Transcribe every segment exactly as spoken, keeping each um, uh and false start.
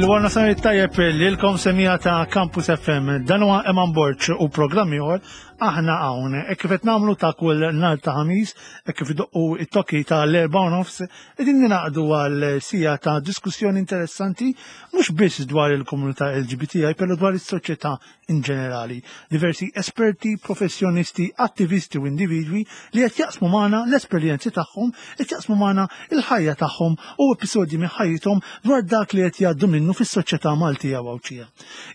Il-wara nofsinhar tajjeb lilkom, semmiegħa ta' Campus F M. Dan huwa Eman Borg u programm ieħor Aħna Hawn. E kif qed nagħmlu ta' kull nhar ta' Ħamis, e kif idoqqu it-tokki ta' l-erba' u nofs, qegħdin ningħaqdu għal siegħa ta' diskussjoni interessanti mhux biss dwar il-komunità L G B T I, però dwar is-soċjetà in ġenerali. Diversi esperti, professjonisti, attivisti u individwi li qed jaqsmu magħna l-esperjenzi tagħhom, qed jaqsmu magħna il-ħajja tagħhom u episodji minn ħajjithom dwar dak li qed jgħaddu minnu fis-soċjetà Maltija u Għawdxija.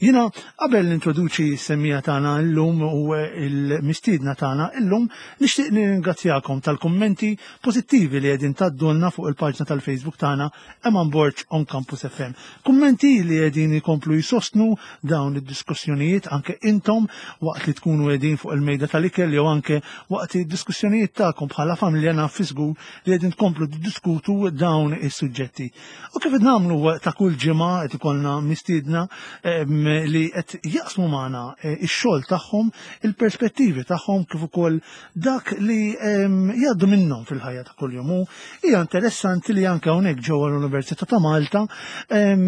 Jiena qabel nintroduċi s-semmiegħa tagħna llum u il-mistiedna tagħna illum, nixtieq nirringrazzjakom tal-kummenti pożittivi li qegħdin tgħaddulna fuq il-paġna tal-Facebook tagħna, Eman Borg on Campus F M. Kummenti li qegħdin ikomplu jsostnu dawn id-diskussjonijiet anke intom waqt li tkunu qegħdin fuq il-mejda tal-ikel jew anke waqt id-diskussjonijiet tagħkom bħala familja, naf żgur li qegħdin tkomplu diskutu dawn is-suġġetti. U kif qed nagħmlu ta' kull ġimgħa, qed ikollna mistiedna em, li qed jaqsmu magħna eh, ix-xogħol tagħhom, il-perspettivi tagħhom kif ukoll dak li em, jgħaddu minnhom fil-ħajja ta' kuljum. U hija interessanti li anke hawnhekk ġewwa l-Università ta' Malta em,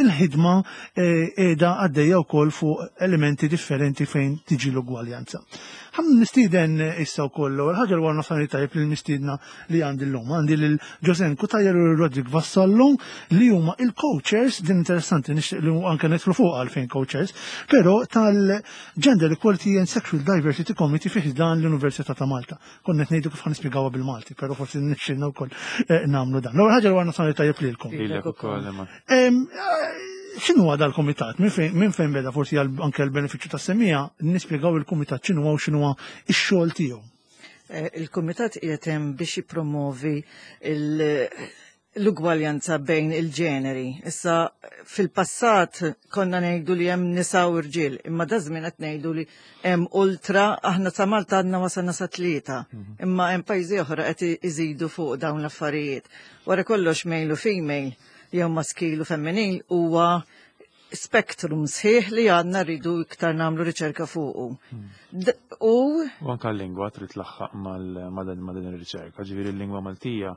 il-ħidma eh, qiegħda għaddejja wkoll fuq elementi differenti fejn tiġi l-ugwaljanza. Ħa nistieden issa wkoll l ħaġa, l-wara nofsinhar tajjeb lill-mistiedna li għandi llum. Għandi lil Josen Cutajar u Roderick Vassallo li huma il-co-chairs, din interessanti, nixtieq li anke nidħlu fuq għalfejn co-chairs, però tal-Gender Equality and Sexual Diversity Committee fih dan l-Università ta' Malta. Konna qed ngħidu kif ħa nispjegawha bil-Malti, però forsi nixxilna wkoll eh, nagħmlu dan. L-ewwel ħaġa, l-wara nofsinhar tajjeb lilkom. Lilek ukoll, Eman. Em, eh, X'inhu għada l-komitat? Minn fejn min fejn beda? Forsi għal anke l-benefiċċju tas-semmiegħa nispjegaw il-kumitat x'inhu u x'inhu x-xogħol tiegħu. Eh, Il-Kumitat qiegħed hemm biex jippromovi il- l-ugwaljanza bejn il-ġeneri. Issa, fil-passat konna ngħidu li hemm nisa u rġiel, imma da żmien qed ngħidu li hemm ultra, aħna sa Malta għadna wasalna sa tlieta, imma hemm pajjiżi oħra qed iżidu fuq dawn l-affarijiet. Wara kollox, male u female jew maskil u femminil huwa spektrum sħiħ li għadna rridu iktar nagħmlu riċerka fuqu. D- U U anka l-lingwa trid tlaħħaq mal- ma' dan ma' din ir-riċerka. Ġifieri l-lingwa Maltija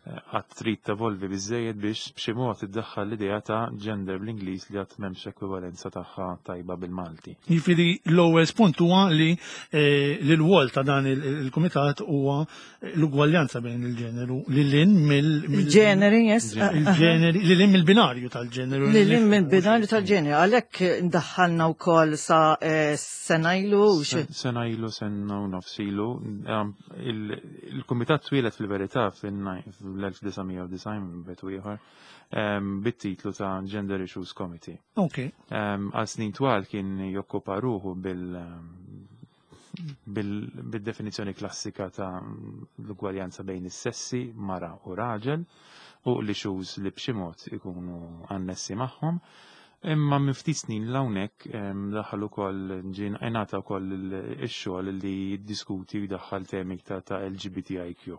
eh, għad trid tevolvi biżejjed biex b'xi mod iddaħħal l-idea ta' gender bl-Ingliż li għad m'hemmx ekwivalenza tagħha tajba bil-Malti. Jiġifieri l-ewwel punt huwa li eh, li l-wol ta' dan il- il-kumitat huwa l-ugwaljanza bejn il-ġeneru li lin mill mill- il-ġeneri, yes. Il-ġeneri li lin mill-binarju tal-ġeneru. Li li minn binarju tal-ġeneri, għalhekk ndaħħalna wkoll sa eh, sena ilu u xi- Sena ilu, sena u nofs ilu, um, il- il-Kumitat twieled fil-verità fil-elf disa' mija u disgħin betu ieħor um, bit-titlu ta' Gender Issues Committee. Ok. Um, Għal snin twal kien jokkupa ruħu bil bil- bil-definizjoni klassika ta' l-ugwaljanza bejn is-sessi, mara u raġel, u l-issues li b'xi mod ikunu annessi magħhom. Imma minn ftit snin l-hawnhekk em, daħal ukoll, ġien ingħata wkoll il- ix-xogħol li jiddiskuti u jdaħħal temi ta' ta' L G B T I Q.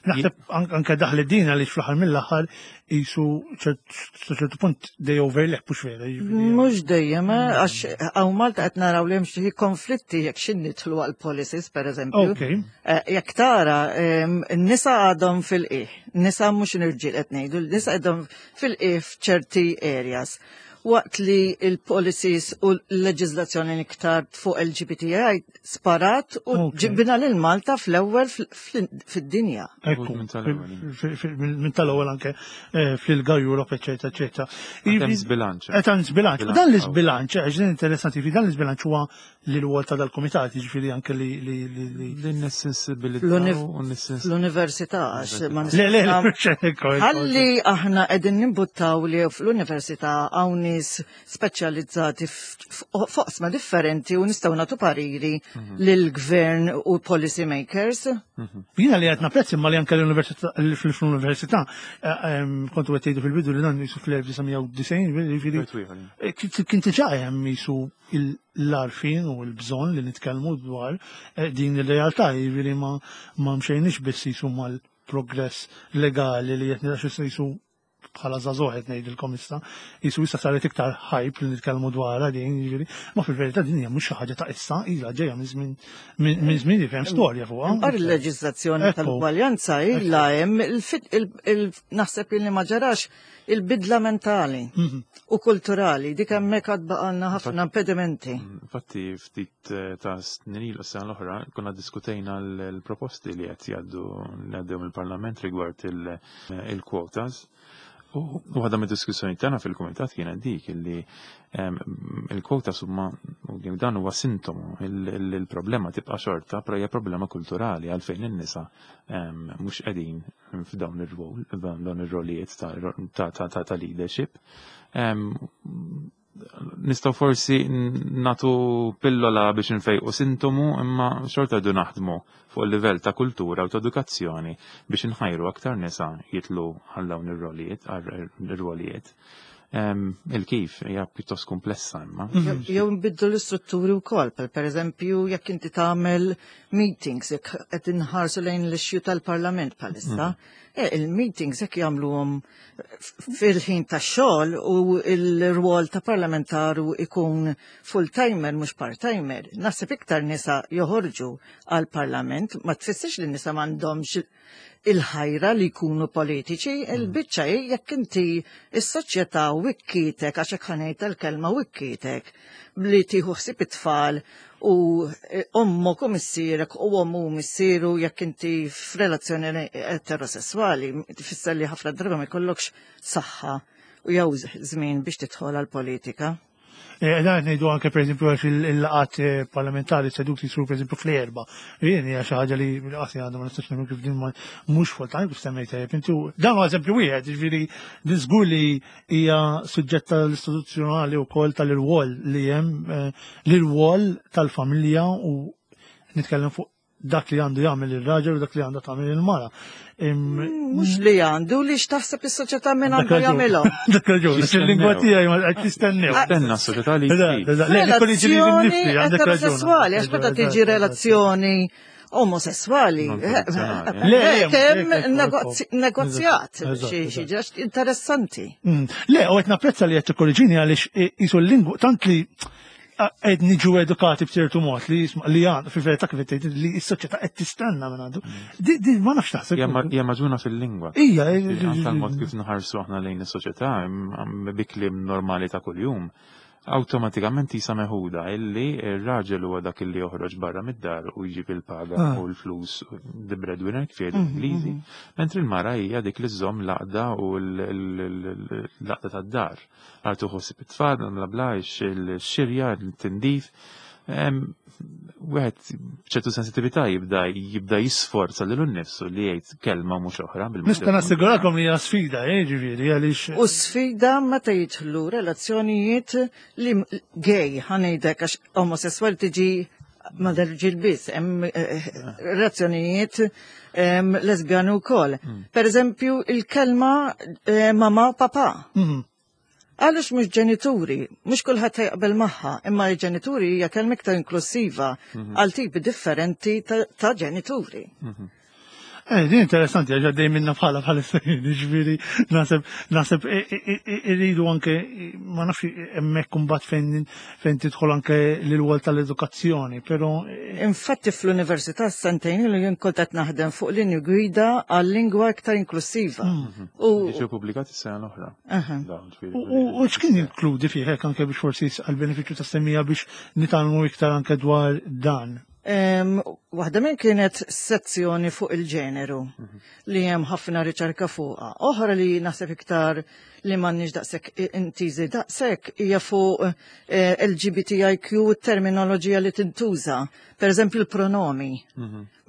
Naħseb an- anke daħli din għaliex fl-aħħar mill-aħħar jisu ċertu punt they overlap, mhux vera, jiġifieri. Mhux dejjem, eh, għax hawn Malta qed naraw li hemm xi konflitti jekk xin nidħlu għal policies, per eżempju. Ok. Eh, Jekk tara, em, n-nisa għadhom fil-qiegħ, nisa mhux irġiel qed ngħidu, n-nisa għadhom fil-qiegħ f'ċerti areas. Waqt li il-policies u l-leġizlazzjoni iktar fuq L G B T I sparat u Ok. ġibna lil Malta fl-ewwel fil- fid-dinja. Ekku, Minn tal-ewwel. fi- fi- minn tal-ewwel anke eh, fl-I L G A Europe, eccetera, eccetera. Hemm żbilanċ. Qed hemm żbilanċ. U Bilanċ, dan l-iżbilanċ, għax din interessanti, fi dan l-iżbilanċ huwa li l-wol ta' dal-komitat, jiġifieri anke li li li li Din is-sensibilità L-univ- u nis-sens- L-università, għax ma Le, le, le, nistgħu- ekku, ekku. Ħalli aħna qegħdin nimbuttaw li fl-università hawn nies speċjalizzati f'oqsma differenti u nistgħu nagħtu pariri lill-gvern u policy makers. Jiena li qed napprezzi imma li anke l-università, fl-università, eh, em, kontu qed tgħidu fil-bidu li dan jisu fl-elf disa' mija u disgħin, jiġifieri Wieħed ieħor. eh, kien kien diġà hemm jisu l-għarfien u l-bżonn li nitkellmu dwar eh, din ir-realtà, jiġifieri ma ma mxejniex biss jisu mal-progress legali li qed niraxu jisu Bħala żagħżugħ qed ngħidilkom issa, jisu issa saret iktar hype li nitkellmu dwarha din, jiġifieri, ma fil-verità din hija mhux xi ħaġa ta' issa, ilha ġejja minn żmien minn żmien li hemm storja fuqha. Għar il-leġiżlazzjoni Ekku. tal-ugwaljanza illa hemm il-fit- il- il- naħseb li ma ġarax il-bidla mentali Mhm. u kulturali, dik hemmhekk għad baqalna ħafna impedimenti. Infatti, ftit eh, ta' snin ilu, sena l-oħra, konna diskutejna l-proposti li qed jgħaddu li għaddew mill-Parlament rigward il- il-quotas. U waħda mid-diskussjoni tagħna fil-kumitat kienet dik illi em, il-quotas huma u dan huwa sintomu, il- il- il-problema tibqa' xorta, però hija problema kulturali għalfejn in-nisa em, mhux qegħdin f'dawn ir-rwol, f'dawn ir-rolijiet ta' ta' ta' ta' ta' leadership. Em, Nistgħu forsi natu pillola biex nfejqu sintomu, imma xorta du naħdmu fuq il-livell ta' kultura u ta' edukazzjoni biex nħajru aktar nisa jitlu għal dawn ir-rolijiet, għal ir-rolijiet. Em, Il-kif hija pjuttost komplessa imma. Jew jew nbiddu l-istrutturi wkoll, per per eżempju, jekk inti tagħmel meetings, jekk qed inħarsu lejn l-issue tal-Parlament bħalissa, eh, il-meetings jekk jagħmluhom fil-ħin tax-xogħol u l-rwol ta' parlamentaru ikun full-timer mhux part-timer. Naħseb iktar nisa joħorġu għal-Parlament, ma tfissirx li nisa m'għandhomx il-ħajra li jkunu politiċi, il-biċċa hi jekk inti is-soċjetà wikkitek, għax hekk ħa ngħid il-kelma wikkitek, li tieħu ħsieb it-tfal u eh, ommok u missierek u ommu u missieru jekk inti f'relazzjoni eterosessuali, tfisser li ħafna drabi ma jkollokx saħħa u jew żmien biex tidħol għal-politika. Eh, Dan ngħidu anke pereżempju għax il-laqat eh, parlamentari seduti jsiru pereżempju fl-erba. Jien hija xi ħaġa li qasi għandha ma nistax nagħmel kif din ma mhux full time kif semmejt tajjeb inti. Dan huwa eżempju wieħed, jiġifieri din żgur li hija suġġett tal-istituzzjonali wkoll tal-irwol li hemm, eh, l-irwol tal-familja u nitkellem fuq dak li għandu jagħmel ir-raġel u dak li għandha tagħmel il-mara. Im- Mhux li għandu li x'taħseb is-soċjetà minn Dak għandu raġun. jagħmilhom. Dak raġun, Jistennew. il-lingwa tiegħi ma qed jistennew. Stenna s-soċjetà li Eżatt, trid. eżatt. Le, nikkorriġi lili Relazzjoni nnifsi, għandek raġun. eterosessuali, għax meta tiġi Eżatt, eżatt. relazzjoni omosessuali. Non tradizzjonali, Le, le, Kemm le, le, negozji- negozjat, Eżatt, xi xi eżatt. ġax interessanti. Mm. Le, u qed napprezza li qed tikkorriġini għaliex jisu l-lingwa tant li qed niġu edukati b'ċertu mod li jisma' li għan fil-verità kif qed tgħid li s-soċjetà qed tistenna minn għandu. Di di ma nafx taħseb. Hija ma- hija maġuna fil-lingwa. Ija, Anka l-mod kif nħarsu aħna lejn is-soċjetà bi kliem normali ta' kuljum, awtomatikament jisa meħuda illi ir-raġel huwa dak illi joħroġ barra mid-dar u jġib il-paga Ah. u l-flus, the breadwinner kif jgħidu l-Ingliżi, mentri l-mara hija dik li żżomm l-għaqda u l-għaqda tad-dar. Għal tuħossib it-tfal, bla bla, ix-xirja, il-tindif. Em, Wieħed b'ċertu sensitività jibda jibda jisforza lilu nnifsu li jgħid kelma mhux oħra bil Nista' nassigurakom li hija sfida, eh, ġifieri, għaliex. U sfida meta jidħlu relazzjonijiet li gay, ħa ngħidlek, għax omosessuali tiġi ma l-irġiel biss, hemm eh, relazzjonijiet em, lesbjani wkoll. Per eżempju, il-kelma eh, mama papa. Mhm. Għaliex mhux ġenituri, mhux kulħadd jaqbel magħha, imma l-ġenituri hija kelma iktar inklusiva għal tipi differenti ta' ta' ġenituri. Eh, din interessanti, għax għaddej minna bħala bħala ġifieri, naħseb, naħseb, irridu anke, ma nafx hemmhekk kumbat fejn fejn tidħol anke l-rwol tal-edukazzjoni, pero Infatti fl-università sentejn ilu jien kont qed naħdem fuq linju gwida għal lingwa iktar inklusiva. U Ġew pubblikati s-sena l-oħra. Aha. Dawn, ġifieri. U u x'kien jinkludi fih hekk anke biex forsi għal-benefiċċju tas-semmija biex nitgħallmu iktar anke dwar dan? Em, Waħda minn kienet sezzjoni fuq il-ġeneru li hemm ħafna riċerka fuqha. Oħra li naħseb iktar li m'għandniex daqshekk intiżi daqshekk hija fuq eh, L G B T I Q, terminoloġija li tintuża. Per eżempju l-pronomi.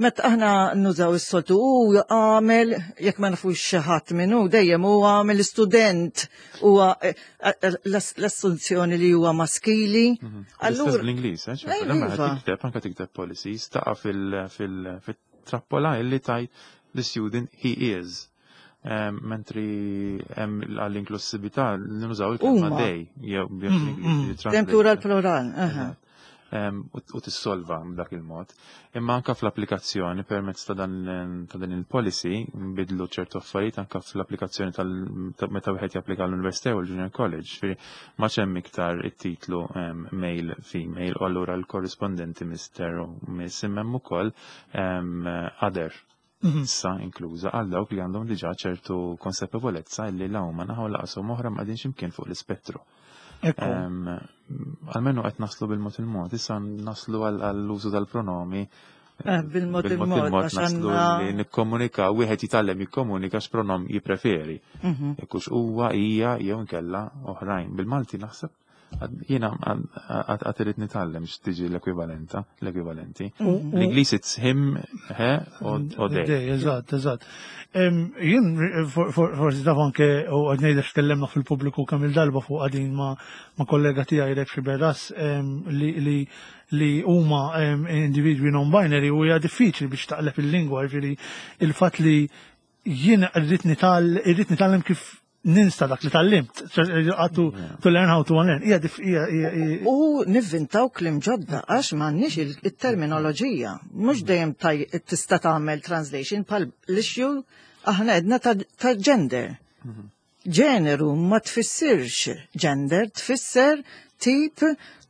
Meta aħna nużaw is-soltu u għamel, jekk ma nafux xi ħadd minnu, dejjem hu għamel student, huwa eh, eh, l-assunzjoni li huwa maskili. L-istess Allura bl-Ingliż, eh? Eh, Ċe, iva. tikteb, anka tikteb policies, taqa' fil-trappola illi tajt the student he is. Em, Mentri hemm għall-inklusività nużaw il-kelma Huma. they, jew bl-Ingliż. Dejjem plural plural. Aha. em, u u tissolva b'dak il-mod. Imma anka fl-applikazzjoni permezz ta' dan ta' din il-policy nbidlu ċertu affarijiet anka fl-applikazzjoni tal ta' meta wieħed japplika l-Università u l-Junior College, ġifieri ma hemm iktar it-titlu em, male, female, u allura l-korrispondenti Mister u Miss, imma hemm ukoll em, other Mhm. issa inkluża għal dawk li għandhom diġà ċertu konsapevolezza li la huma naħa u lanqas oħra ma qegħdin x'imkien fuq l-ispettru. Ekku. Em, Almenu qed naslu bil-mod il-mod, issa naslu għall- għall-użu tal-pronomi. Eh, bil-mod il-mod, għax naslu għandna- li nikkomunika, wieħed jitgħallem jikkomunika x'pronom jippreferi. Mhm. Jekk hux huwa, hija, jew inkella oħrajn. Bil-Malti naħseb għad- jiena għad għad irid nitgħallem x'tiġi l-ekwivalenta, l-ekwivalenti. U- L-Ingliż it's him, he, u u they. They, eżatt, eżatt. Em, Jien for- for- forsi taf anke u għad ngħidlek tkellimna fil-pubbliku kemm il-darba fuq għadin ma' ma' kollega tiegħi Rex Riberas em, li li li huma em, individwi non-binary u hija diffiċli biex taqleb il-lingwa, jiġifieri il-fatt li jien irrid nital irrid nitgħallem kif ninsa dak li tgħallimt, għatu to learn how to unlearn. Hija dif- hija hija- hija- U nivvintaw kliem ġodda għax m'għandniex il- il-terminoloġija. Mhux dejjem taj tista' tagħmel translation bħal l-issue aħna għedna ta' ta' gender. Ġeneru ma tfissirx gender, tfisser tip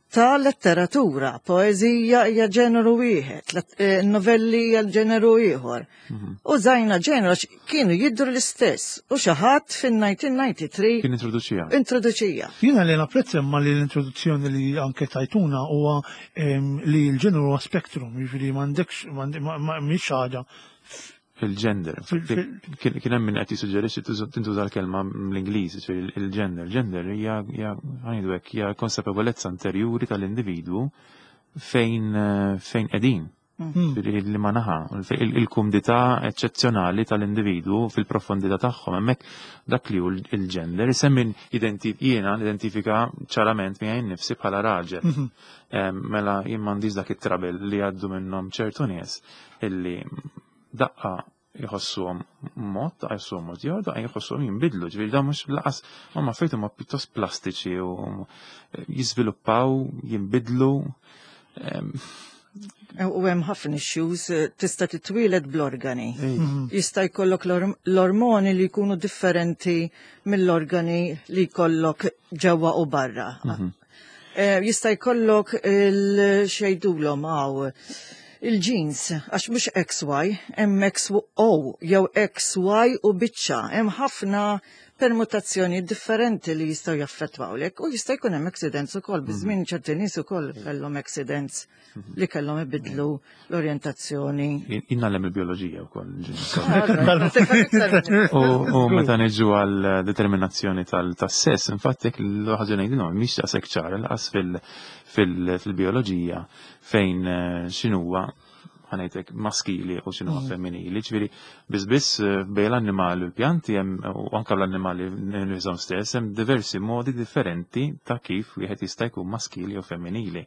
ta' letteratura. Poezija hija ġeneru wieħed, let- eh, novelli hija ġeneru ieħor. Użajna ġeneru għax kienu jidru l-istess u xi ħadd fin-elf disa' mija u tnejn u disgħin Kien introduċija. introduċija. Jiena li napprezza imma li l-introduzzjoni li anke tajtuna huwa em, li l-ġeneru huwa spectrum, jiġifieri m'għandekx m'għand- ma- ma- mhix ħaġa. Il-gender. Fil- fil- Kien kien hemm min qed jissuġġerixxi tuża- tintuża l-kelma mill-Ingliż, ġifieri il-gender. Gender hija hija ngħidu hekk hija konsapevolezza interjuri tal-individwu fejn eh, fejn qegħdin. Hmm. Ġifieri li ma naħa, il- il-kumdità eċċezzjonali tal-individwu fil-profondità tagħhom. Hemmhekk dak li hu il-gender, isemmi identi jiena nidentifika ċarament miegħi nnifsi bħala raġel. Mhm. Em, Mela jien m'għandix dak it-trouble li għaddu minnhom ċertu nies illi daqqa jħossuhom mod, daqqa jħossuhom mod ieħor, daqqa jħossuhom jinbidlu. Ġifieri da mhux lanqas huma affarijiet huma pjuttost plastiċi u jiżviluppaw, jinbidlu. Em, U hemm ħafna issues, eh, tista' titwieled bl-organi. ej, Jista' jkollok l-orm- l-ormoni li jkunu differenti mill-organi li jkollok ġewwa u barra. Eh, Jista' jkollok il-xejdulhom għaw il-genes, għax mhux X Y, hemm X O jew X Y u biċċa, hemm ħafna permutazzjoni differenti li jistgħu jaffettwawlek u jista' jkun hemm accidents ukoll, biż-żmien ċerti nies ukoll kellhom accidents li kellhom ibidlu l-orjentazzjoni. Jien ngħallem il-bioloġija wkoll. Ah, U u meta niġu għal determinazzjoni tal-sess, infatti jekk l-ħaġa ngħidilhom mhix daqshekk ċara lanqas fil- fil- fil-bioloġija fejn eh, x'inhuwa ħa ngħidlek maskili u x'inhuwa femminili. Ġifieri biss biss eh, bejn l-annimali u l-pjanti hemm u anke l-annimali nifishom stess hemm diversi modi differenti ta' kif wieħed jista' jkun maskili u femminili.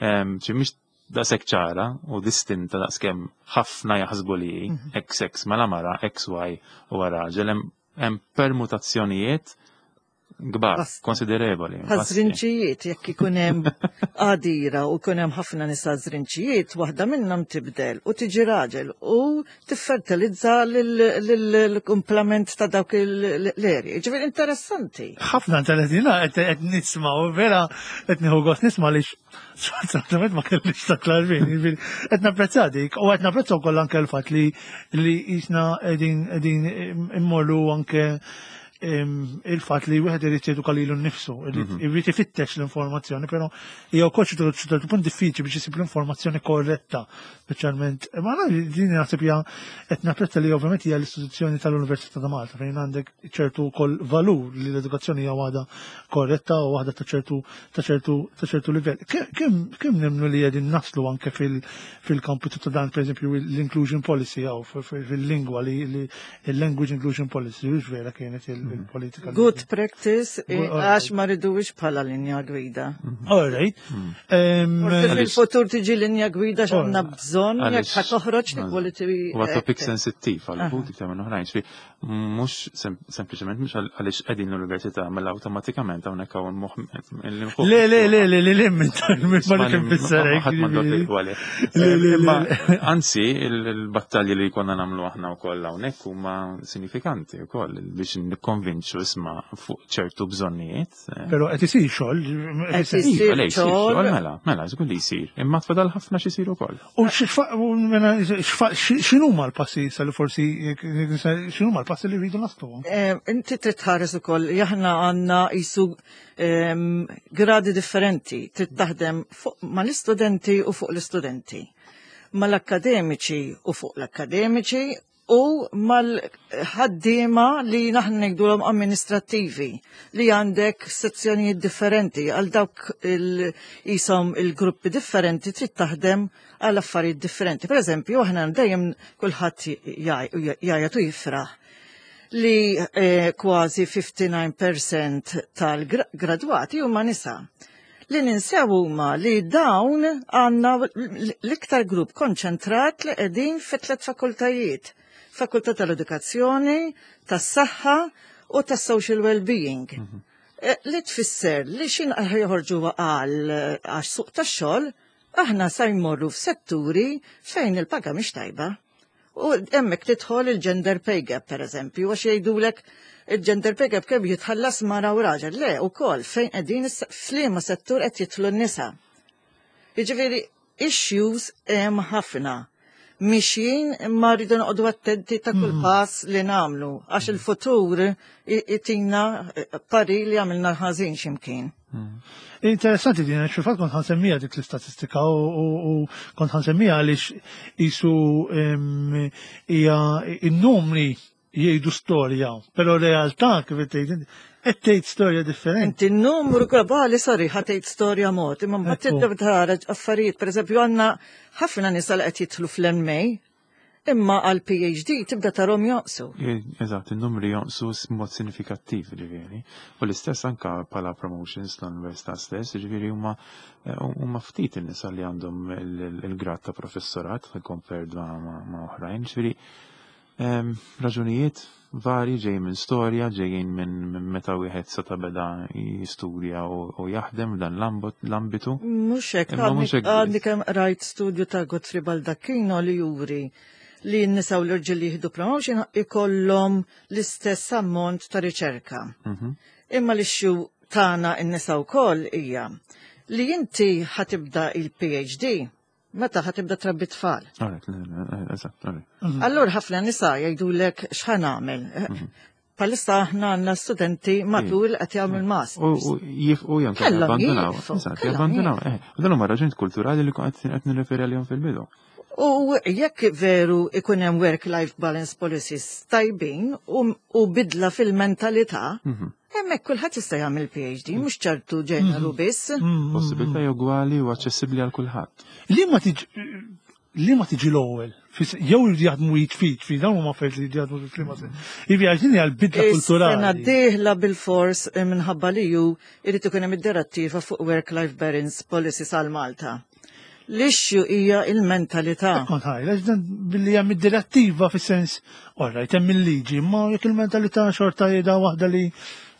Em, ċi mhix daqshekk ċara u distinta daqskemm ħafna jaħsbu li hi, X X mela mara, X Y u raġel, hemm hemm permutazzjonijiet kbar, Basta. konsiderevoli. Bħal żrinġijiet, jekk ikun hemm għadira u jkun hemm ħafna nisa żrinġijiet, waħda minnhom tibdel u tiġi raġel u tiffertilizza lill-kumplament ta' dawk l-erji. Ġifieri interessanti. Ħafna intelligenti qed qed nisma' u vera qed nieħu gost nisma' li sfortunatament ma kellix ta' klarvin. Jiġifieri qed napprezza dik u qed napprezza wkoll anke l-fatt li li jisna qegħdin qegħdin immorru anke em, il-fatt li wieħed irid jeduka lilu nnifsu, irid irid ifittex l-informazzjoni, però hija wkoll xi ċertu punt diffiċli biex isib l-informazzjoni korretta, speċjalment. Ma na din naħseb hija qed napprezza li ovvjament hija l-istituzzjoni tal-Università ta' Malta fejn għandek ċertu wkoll valur li l-edukazzjoni hija waħda korretta u waħda ta' ċertu ta' ċertu ta' ċertu livell. Kemm kemm nemnu li qegħdin naslu anke fil fil-kampu ta' dan, pereżempju, l-inclusion policy jew fil-lingwa li il-language inclusion policy, mhux vera kienet il-politika. Good practice, eh, Good- għax ma ridux bħala linja gwida. All right. Em, Forsi fil-futur tiġi linja gwida x'għandna bżonn jekk Għaliex- ħa toħroġ l-equality. Huwa topic Act. sensittiv għal uħud iktar minn oħrajn. Ġifieri, Mhux sempliċement mhux għaliex qegħdin l-università mela awtomatikament hawnhekk hawn moħħ. Le, le, le, le, le, le, minn ma nifisser hekk. Ħadd m'għandu. Anzi, il-battalji li konna nagħmlu aħna wkoll hawnhekk huma sinifikanti wkoll biex nikkonvinċu, isma', fuq ċertu bżonnijiet. Però qed isir xogħol. Qed isir xogħol. Mela, mela, żgur li jsir. Imma tfadal ħafna x'isir ukoll. U x'inhuma l-passi li forsi x'inhuma l-passi li rridu naslu? Inti trid tħares ukoll, aħna għandna jisu gradi differenti, trid taħdem fuq mal-istudenti u fuq l-istudenti, mal-akademiċi u fuq l-akademiċi u mal-ħaddiema li aħna ngħidulhom amministrattivi, li għandek sezzjonijiet differenti għal dawk il-jisom il-gruppi differenti, trid taħdem għal affarijiet differenti. Per eżempju, aħna dejjem kulħadd jgħajjat u jifraħ li eh, kważi ħamsa u ħamsin fil-mija tal-gradwati huma nisa. Li ninsew huma li dawn għandna l-iktar grupp konċentrat li qegħdin fi tliet fakultajiet. Fakultà tal-Edukazzjoni, tas-Saħħa u tas-Social Well-being. Mm -hmm. Li tfisser li xin joħorġu għal għax suq tax-xogħol, aħna sa jmorru f'setturi fejn il-paga mhix tajba. U hemmhekk tidħol il-gender pay gap, per eżempju, għax jgħidulek il-gender pay gap kemm jitħallas mara u raġel. Le, ukoll fejn qegħdin, f'liema settur qed jidħlu n-nisa. Jiġifieri issues hemm ħafna. Mixjin, imma rridu noqogħdu attenti ta' kull mm. pass li nagħmlu, għax il-futur itina pari li għamilna ħażin x'imkien. Mm. Interessanti din, għax fil-fatt kont ħa nsemmija dik l-istatistika u kont ħa nsemmija għaliex jisu hija in-numri jgħidu storja, però realtà, kif tgħid, qed tgħid storja differenti. Inti n-numru globali, sorry, ħa tgħid storja mod, imma mbagħad Ekku. tibda tara affarijiet, pereżempju għandna ħafna nisa li qed jidħlu fl-M A, imma għal P H D tibda tarhom jonqsu. Eżatt, il-numri jonqsu mod sinifikattiv, ġifieri. U l-istess anka bħala promotions l-università stess, ġifieri huma eh, huma ftit in-nisa li għandhom il- il-grad ta' professorat compared ma' ma' ma' oħrajn, ġifieri em, raġunijiet vari ġej minn storja, ġejjin minn minn meta wieħed seta' beda jistudja u u jaħdem f'dan l-ambot- l-ambitu. Mhux hekk, Imma mhux hekk għadni biss. kemm rajt studju ta' Godfrey Baldacchino li juri li n-nisa u l-irġiel li jieħdu promotion ikollhom l-istess ammont ta' riċerka. Mhm. Imma l-issue tagħna n-nisa wkoll hija li inti ħa tibda il-P H D meta ħa tibda trabbi tfal. Alright, eżatt, alright. Allura ħafna nisa jgħidulek, "X'ħa nagħmel?" Bħalissa aħna għandna studenti matul qed jagħmlu l-master. U u jifqu jew Kellhom jabbandunaw. jieqfu, Eżatt, kellhom jabbandunaw. Eh, u dan huma raġunijiet kulturali li qed qed nirreferi għalihom fil-bidu. U jekk veru ikun hemm work-life balance policies tajbin u, u bidla fil-mentalità, Mhm. hemmhekk kulħadd jista' jagħmel P H D, mhux ċertu ġeneru biss. Possibilità ugwali u aċċessibbli għal kulħadd. Li ma tiġi li ma tiġi l-ewwel, Fis- jew jridu jaħdmu jitfit, fi dawn huma affarijiet li jridu jaħdmu fil-klima. Ivi għax din hija l-bidla Is-sena kulturali. d-dieħla bil-fors eh, minħabba li ju irid ikun hemm id-direttiva fuq work-life balance policies għal Malta. L-issue hija il-mentalità. Kont ħajla, dan billi hemm id-direttiva fis-sens, orrajt, hemm il-liġi, ma jekk il-mentalità xorta jeda waħda li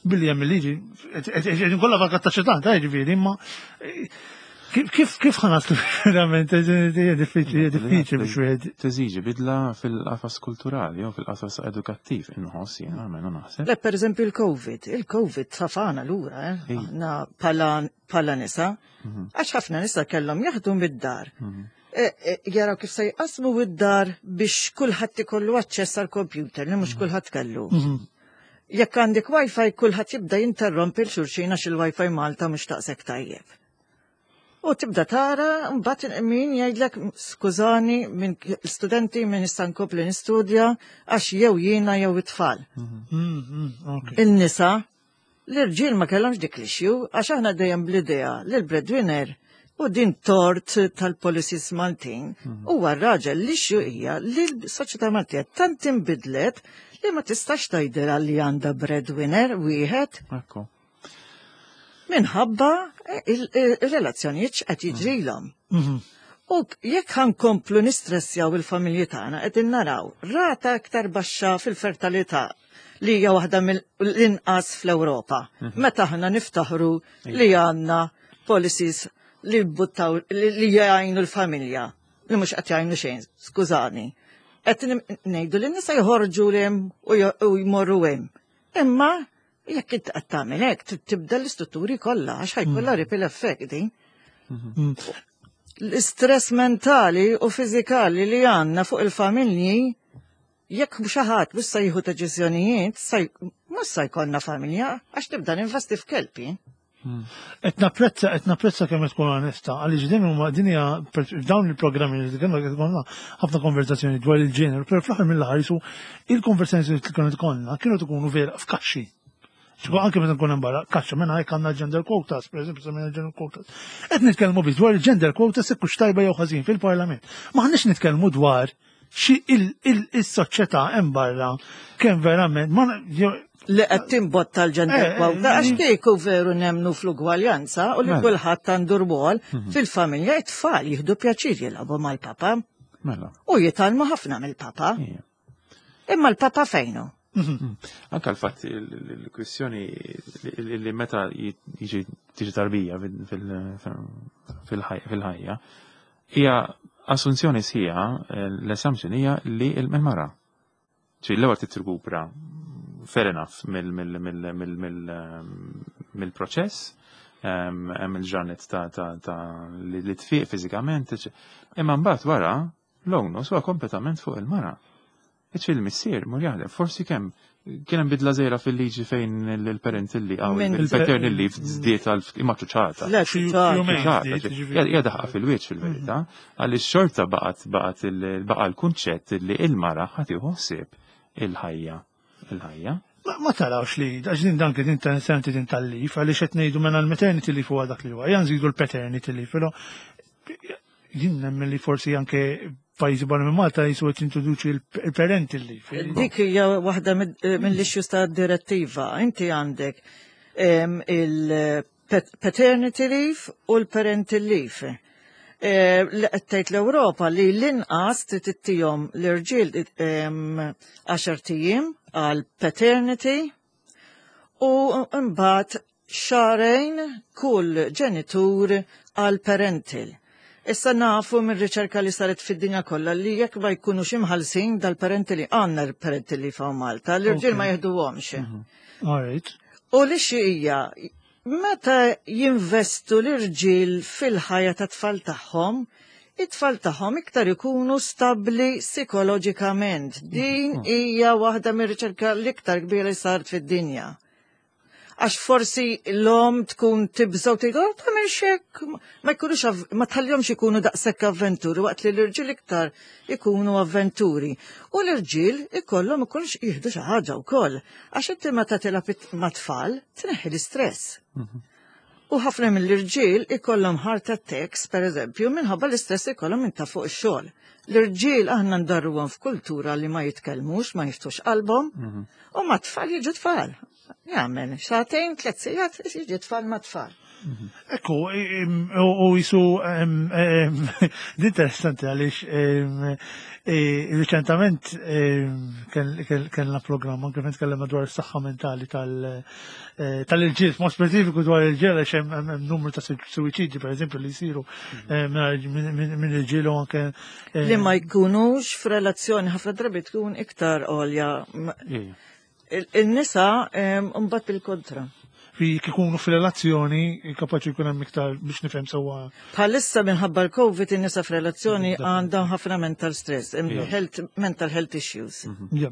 billi hemm il-liġi, qed kollha vakat ta' xitan, ta' ġifieri, imma eh, kif kif kif ħa naslu verament, hija diffiċli, hija diffiċli biex wieħed. Teżiġi bidla fil-qafas kulturali jew fil-qafas edukattiv, inħoss jiena, almenu naħseb. Le, per eżempju, il-Covid. Il-Covid tafana lura, eh? Ej. Aħna bħala, bħala nisa. Għax ħafna nisa kellhom jaħdmu mid-dar. E, e, jaraw kif se jqasmu id-dar biex kulħadd ikollu aċċess għal computer li mhux kulħadd kellu. Jekk għandek wifi, kulħadd jibda jinterrompi 'l xulxin għax il-wifi Malta mhux taqsek tajjeb. U tibda tara, mbagħad min jgħidlek, "Skużani, minn studenti minn nista' nkompli nistudja għax jew jiena jew it-tfal." Mm, mm, ok. Il-nisa, l-irġiel ma kellhomx dik l-issue għax aħna dejjem bl-idea li l-breadwinner, u din tort tal-policies Maltin, huwa r-raġel. L-issue hija li l-soċjetà Maltija tant inbidlet li ma tistax tgħidilha li għandha breadwinner wieħed Ekku. minħabba il-relazzjonijiet x'qed jiġrilhom. Mhm. U jekk ħa nkomplu nistressjaw il-familji tagħna, qegħdin naraw rata aktar baxxa fil-fertilità li hija waħda mill-inqas fl-Ewropa. Meta aħna niftaħru li għandna policies li buttaw li li jgħinu l-familja, li mhux qed jgħinu xejn, skużani. Qed ngħidu li n-nisa joħorġu hemm u j- u jmorru hemm. Imma jekk int qed tagħmel hekk trid tibda l-istrutturi kollha, għax ħa jkollha ripple effect din. L-istress mentali u fiżikali li għandna fuq il-familji, jekk xi ħadd mhux se jieħu deċiżjonijiet, mhux se jkollna familja, għax tibda ninvesti f'kelb. Qed napprezza, qed napprezza kemm tkun onesta, għaliex din huma din hija dawn il-programmi li kemm qed ikollna ħafna konversazzjoni dwar il-ġeneru, però fl-aħħar mill-aħħar jisu il-konversazzjoni li kienu tkollna kienu tkunu vera f'kaxxi. Ċiku anke meta nkun hemm barra, kaxxa minn hekk għandna gender quotas, per eżempju, semmejna gender quotas. Qed nitkellmu biss dwar il-gender quotas jekk hux tajba jew ħażin fil-Parlament. M'aħniex nitkellmu dwar xi il-soċjetà hemm barra kemm verament ma jew- Li qed timbotta l-gender Eh, quota, eh, għax kieku veru nemnu fl-ugwaljanza u li Mela. kulħadd għandu rwol fil-familja, it-tfal jieħdu pjaċir jilagħbu mal-papa Mela. u jitgħallmu ħafna mill-papa. Ija. Imma l-papa fejnu? Anka l-fatt il-kwistjoni li li meta jiġi tiġi tarbija fil- fil- fil-ħajja hija assunzjoni sħiħa, l-assumption hija li il-mara. Ċi l-ewwel titrikupra, fair enough, mill-proċess, hemm il-ġranet ta' ta' ta' li li tfiq fiżikament, imma mbagħad wara l-onus huwa kompletament fuq il-mara. Iċ il-missier mur jaħdem, forsi kemm kien hemm bidla żgħira fil-liġi fejn il-parental leave, għaw Minn- il-paternal leave żdiet għal imma ċuċata. Le, Xi ċuċata. jumejn ċuċata, żdiet, ġifieri. Hija daħqa fil-wiċċ fil-verità, għaliex xorta baqgħet baqgħet il- baqa' l-kunċett li il-mara ħa tieħu ħsieb il-ħajja. Il-ħajja. Ma, ma tarawx li, għax din dan kien interessanti din tal-leave, għaliex qed ngħidu mela l-maternity leave huwa dak li huwa, ejja nżidu l-paternity leave, però jien nemmen li forsi anke pajjiżi barra minn Malta jisu qed introduċi il-parental leave. Dik hija waħda mill-issues ta' direttiva. Inti għandek em, il-paternity leave u l-parental leave. Eh, Li qed tgħid l-Ewropa li l-inqas trid ittihom l-irġiel em, għaxart ijiem għal paternity u mbagħad xahrejn kull ġenitur għal parental. Issa nafu minn riċerka li saret fid-dinja kollha li jekk ma jkunux imħallsin dal-parental, għandna l-parental leave hawn Malta, l-irġiel ma jieħduhomx. All right. U li xi hija, meta jinvestu l-irġiel fil-ħajja ta' tfal tagħhom, it-tfal tagħhom iktar ikunu stabli psikoloġikament. Din hija waħda mir-riċerka l-iktar kbira li saret fid-dinja. Għax forsi l-om tkun tibżaw tgħid, "Oh, tagħmel xek," ma jkunux av- ma tħallihomx ikunu daqshekk avventuri, waqt li l-irġiel iktar ikunu avventuri. U l-irġiel ikollhom ikunx jieħdu xi ħaġa wkoll. Għax inti meta tilgħab it- ma' tfal tneħħi l-istress. U ħafna mill-irġiel ikollhom heart attacks, per eżempju, minħabba l-istress ikollhom minn ta' fuq ix-xogħol. L-irġiel aħna ndarruhom f'kultura li ma jitkellmux, ma jiftux qalbhom, u ma' tfal jiġu tfal. Jagħmel sagħtejn, tliet sigħat, jiġi tfal ma' tfal. Ekku, im- u u jisu, em, em, di interessanti għaliex em, e, reċentament em, kell- kell- kellna programm anke fejn tkellimna dwar is-saħħa mentali tal- eh, tal-irġiel, mod speċifiku dwar il-ġiel, għax hemm hemm- hemm numru ta' suwiċidji, per eżempju, li jsiru eh, minn minn- minn irġiel u anke eh, Li ma jkunux f'relazzjoni, ħafna drabi tkun iktar għolja. Ija. Il- Il-nisa em, mbagħad bil-kontra. Fi kikunu f'relazzjoni kapaċi jkun hemm iktar, biex nifhem sewwa. Bħalissa minħabba l-Covid in-nisa f'relazzjoni għandhom ħafna mental stress, em, health, mental health issues. Ja.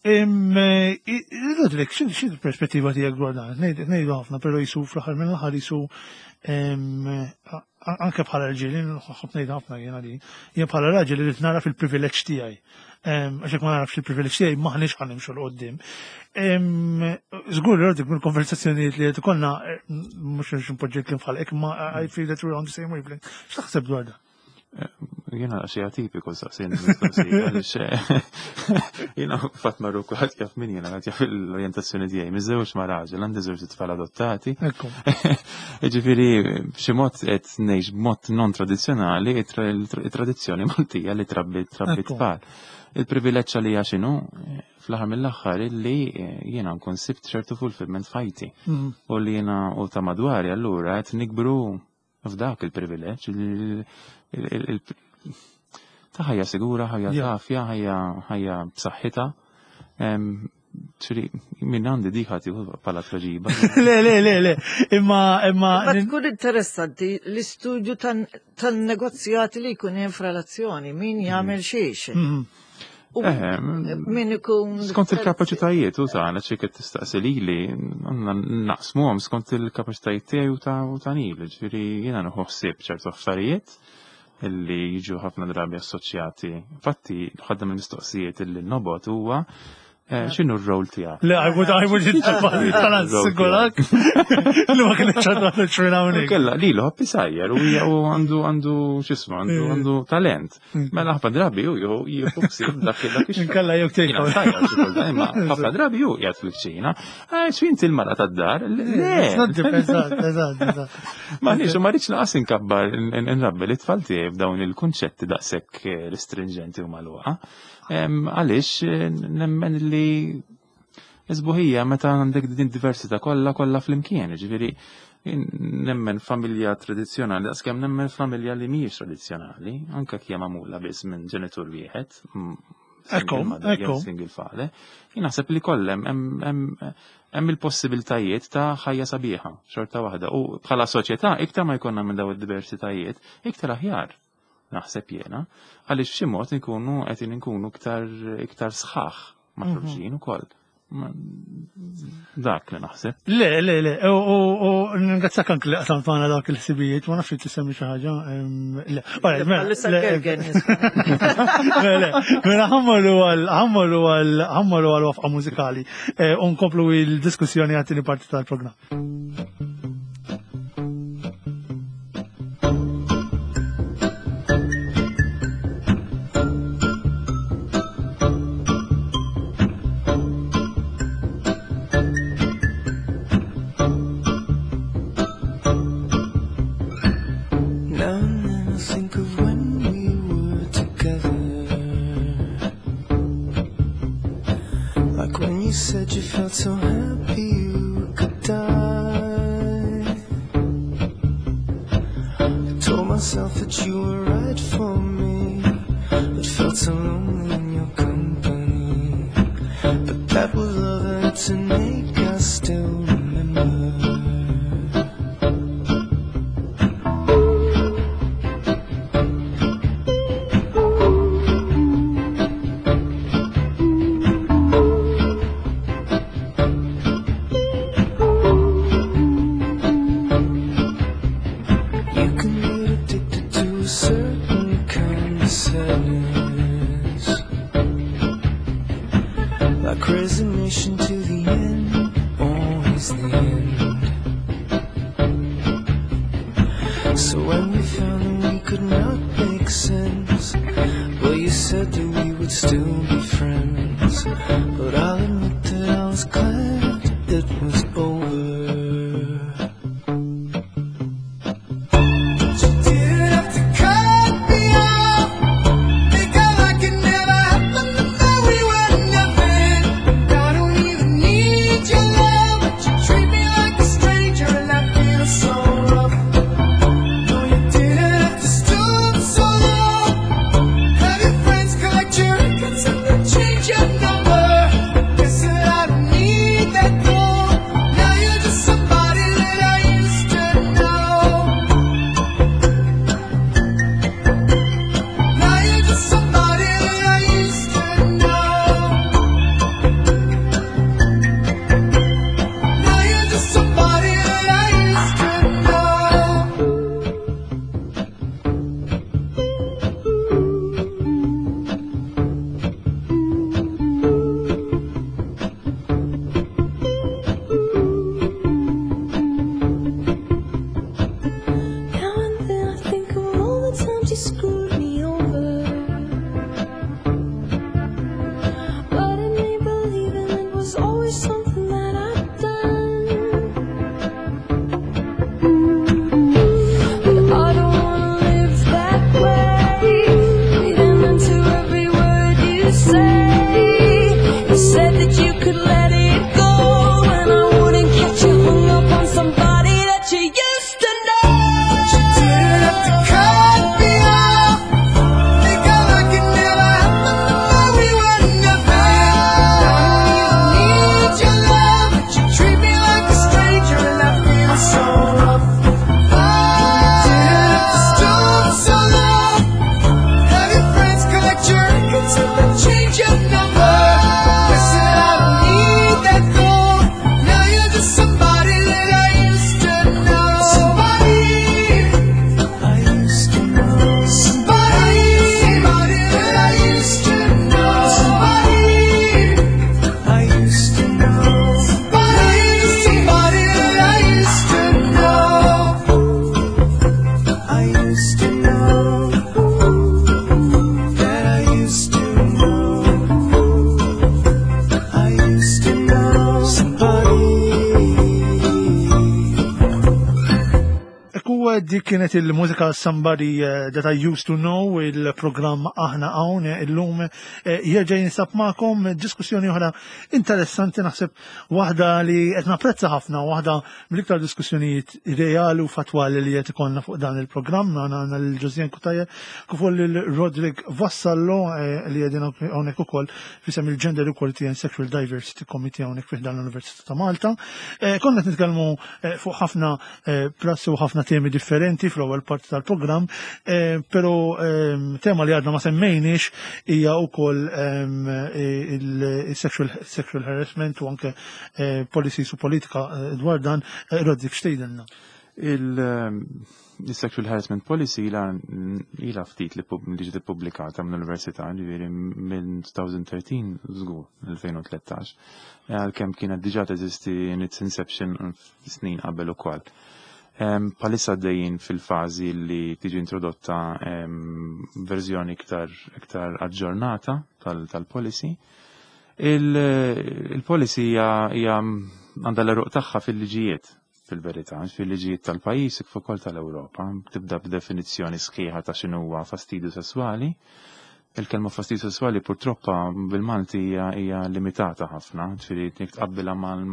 Em, eh, i- Rodrik, x'in x'in perspettiva tiegħek dwar dan? Ngħid- Ngħidu ħafna, però jisu fl-aħħar mill-aħħar jisu em, a- anke bħala rġiel, jien ħobb ngħid ħafna jiena li jien bħala raġel irid nara fil-privileġġ tiegħi. Em, Għax jekk ma narafx il-privileġġ tiegħi, m'aħniex ħa nimxu 'l quddiem. Em, Żgur li Rodrik, mill-konversazzjonijiet li qed ikollna, eh, mhux npoġġi kliem bħal hekk, ma I feel that we're on the same wavelength. X'taħseb dwar dan? Jiena xi atipiku saqsin mistoqsija għaliex jiena fatt marru kulħadd jaf min jiena, ħadd jaf l-orjentazzjoni tiegħi. Miżżewġ ma' raġel, għandi żewġ tfal adottati. Ekku. Ġifieri b'xi mod qed ngħix b'mod non tradizzjonali it-tradizzjoni Maltija li trabbi trabbi Ekku. tfal. Il-privileġġ li hija x'inhu fl-aħħar mill-aħħar illi jiena nkun sibt ċertu fulfillment f'ħajti. Mm. U li jiena u ta' madwari allura qed nikbru f'dak il-privileġġ il- il- il- ta' ħajja sigura, ħajja Yeah. tafja, ħajja ħajja b'saħħitha. Em, ċiri, Min għandi dik ħati bħala tweġiba. Le, le, le, le. Imma, imma. Ma tkun interessanti l-istudju tan- tan-negozjati li jkun hemm f'relazzjoni, min jagħmel xiex. Mm. U Eh, min ikun Skont il-kapaċitajiet u ta' ċi qed tistaqsi lili, għandna naqsmuhom skont il-kapaċitajiet tiegħi u ta' u ta' Neil, ġifieri jiena nieħu ħsieb ċertu affarijiet illi jiġu ħafna drabi assoċjati. Infatti, ħaddem il-mistoqsijiet illi nobot huwa eh, x'inhu r-rol tiegħek. Le, I would, I would tal-assigurak li ma kienx għadha minn hawnhekk. Kella li l sajjer u hija u għandu għandu x'ismu għandu għandu talent. Mela ħafna drabi u jew jieħu ħsieb dak dak ix Inkella jew Jiena take sajjar xi kultant, imma ħafna drabi hu qiegħed fil-kċina. Ah, x'inti l-mara tad-dar? Le. Eżatt, eżatt, eżatt. Ma nix, ma rridx naqas inkabbar nrabbi li tfal tiegħi f'dawn il-kunċetti daqshekk eh, restringenti u magħluqa. Em, Għaliex eh, nemmen li Isbuħija meta għandek din diversità kollha kollha flimkien, ġifieri jien nemmen familja tradizzjonali, daqskemm nemmen familja li mhijiex tradizzjonali, anke kija magħmula biss minn ġenitur wieħed, mm, single Ekku, mother jew ekku. single father, jien naħseb li kollem hemm hemm hemm il-possibiltajiet ta' ħajja sabiħa, xorta waħda. U bħala soċjetà iktar ma jkollna minn daw id-diversitajiet, iktar aħjar naħseb jiena, għaliex b'xi mod nkunu qed inkunu iktar iktar sħaħ ma' Mhm. xulxin ukoll. Ma- Dak li naħseb. Le, le, le, u, u, u ningrazzjak anke li qasam magħna dawk il-ħsibijiet, ma nafx li tisemmi xi ħaġa. em, Le, Alright, mela, Bħalissa le, Gergen nisma'. Le, le, mela ħammorru għal ħammorru għal ħammorru għal waqfa mużikali eh, u nkomplu il-diskussjoni għat-tieni parti tal-programm. Now and then I think of when we were together. Like when you said you felt so happy you could die. I told myself that you were right for me, but felt so lonely in your company. But that was love, and it's an ache I still remember. You can get addicted to a certain kind of sadness, like resignation to the end, always the end. So when we found that we could not make sense, well, you said that we would still be friends. But I'll admit that I was glad it was over. But you didn't have to cut me off. Make out like it never happened and that we were nothing. I don't even need your love, but you treat me like a stranger and I feel so rough. No, you didn't have to stoop so low. Have your friends collect your records and then change your number. Dik kienet il-mużika Somebody eh, That I Used to Know, il-programm Aħna Hawn illum eh, jerġa' jinsab magħkom diskussjoni oħra interessanti, naħseb waħda li qed napprezza ħafna, waħda mill-iktar diskussjonijiet reali u fatwali li qed ikollna fuq dan il-programm. Għandna għandna lil Josianne Cutajar kif ukoll lil Roderick Vassallo eh, li qegħdin hawnhekk ukoll f'isem il-Gender Equality and Sexual Diversity Committee hawnhekk fi dan l-Università ta' Malta. Eh, Konna qed nitkellmu eh, fuq ħafna eh, prassi u ħafna temi differenti fl-ewwel parti tal-programm, eh, però ehm, tema li għadna ma semmejniex hija wkoll ehm, eh, il-sexual sexual harassment u anke eh, policies u politika eh, dwar dan. eh, Roderick, x'tgħidilna? Il-sexual harassment policy ila ila ftit li pub- li ġiet ippubblikata mill-università, ġifieri minn elfejn u tlettax żgur, elfejn u tlettax, għalkemm kienet diġà teżisti in its inception snin qabel ukoll. Em, Bħalissa għaddejjin fil-fażi li tiġi introdotta em, verżjoni iktar, iktar aġġornata tal- tal-policy. Il- Il-policy hija hija għandha l-għeruq tagħha fil-liġijiet, fil-verità, fil-liġijiet tal-pajjiż kif ukoll tal-Ewropa. Tibda b'definizzjoni sħiħa ta' x'inhuwa fastidju sesswali. Il-kelma fastidju sesswali purtroppo bil-Malti hija hija limitata ħafna, ġifieri jekk tqabbilha mal-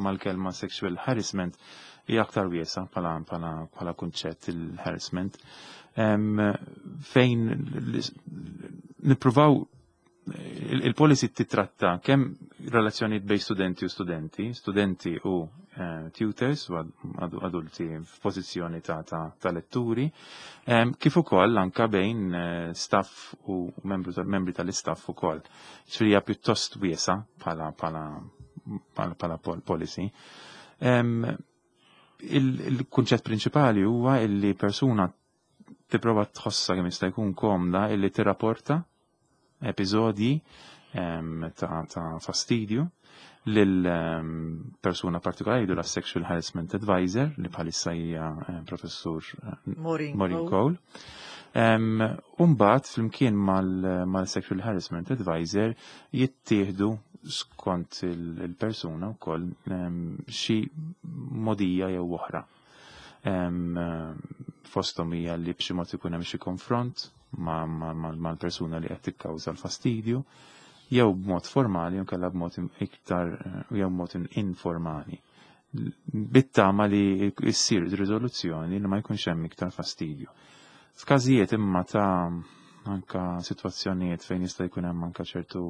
mal-kelma sexual harassment hija aktar wiesa bħala bħala bħala kunċett il-harassment. Em, Fejn l- nippruvaw il- il-policy titratta kemm relazzjonijiet bejn studenti u studenti, studenti u eh, tutors u ad- adulti f'pożizzjoni ta', ta, ta' letturi, em, kif ukoll anka bejn eh, staff u membru tal- membri tal-istaff ukoll. Ġifieri hija pjuttost wiesa bħala bħala bħala bħala pol- policy. Em, il- Il-kunċett prinċipali huwa illi persuna tipprova tħossa kemm jista' jkun komda illi tirrapporta episodji em, ta', ta' fastidju lil em, persuna partikolari, la Sexual Harassment Advisor, li bħalissa hija eh, professur eh, Maureen Maureen Cole. Cole. Um, Umbat, flimkien mal-Sexual Harassment Advisor, jittieħdu skont il- il-persuna u koll xi modija jew oħra. Em, Fosthom hija li b'xi mod ikun hemm xi konfront ma- ma- ma- mal-persuna li qed tikkawża l-fastidju, jew b'mod formali jew kellha b'mod iktar jew b'mod informali. Bit-tama li issir riżoluzzjoni li ma jkunx hemm iktar fastidju. F'każijiet imma ta' anka sitwazzjonijiet fejn jista' jkun hemm anka ċertu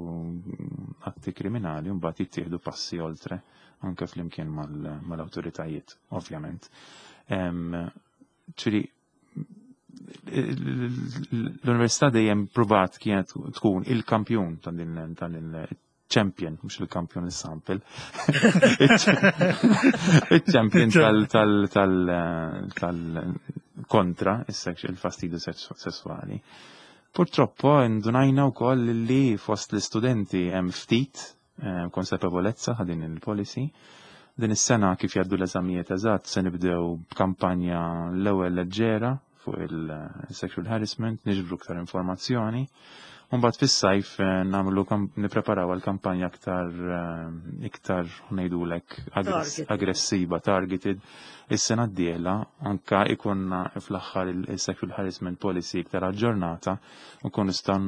atti kriminali, mbagħad jittieħdu passi oltre anke flimkien mal- mal-awtoritajiet, ovvjament. Em, Ċiri, l-università dejjem pruvat kienet tkun il-kampjun ta' din ta' din champion, mhux il-kampjun il-sample, il-champion tal tal tal tal kontra il-fastidju sessuali. Purtroppo indunajna wkoll li fost l-istudenti hemm ftit eh, konsapevolezza ta' din il-policy. Din is-sena, kif jgħaddu l-eżamijiet eżatt, se nibdew b'kampanja l-ewwel leġġera fuq il-sexual harassment, niġbru iktar informazzjoni. Mbagħad fis-sajf eh, nagħmlu nippreparaw għal kampanja aktar eh, iktar ngħidulek Targeted. aggressiva, targeted. Is-sena d-dieħla anka ikonna fl-aħħar il-sexual harassment policy iktar aġġornata u nkunu nistgħu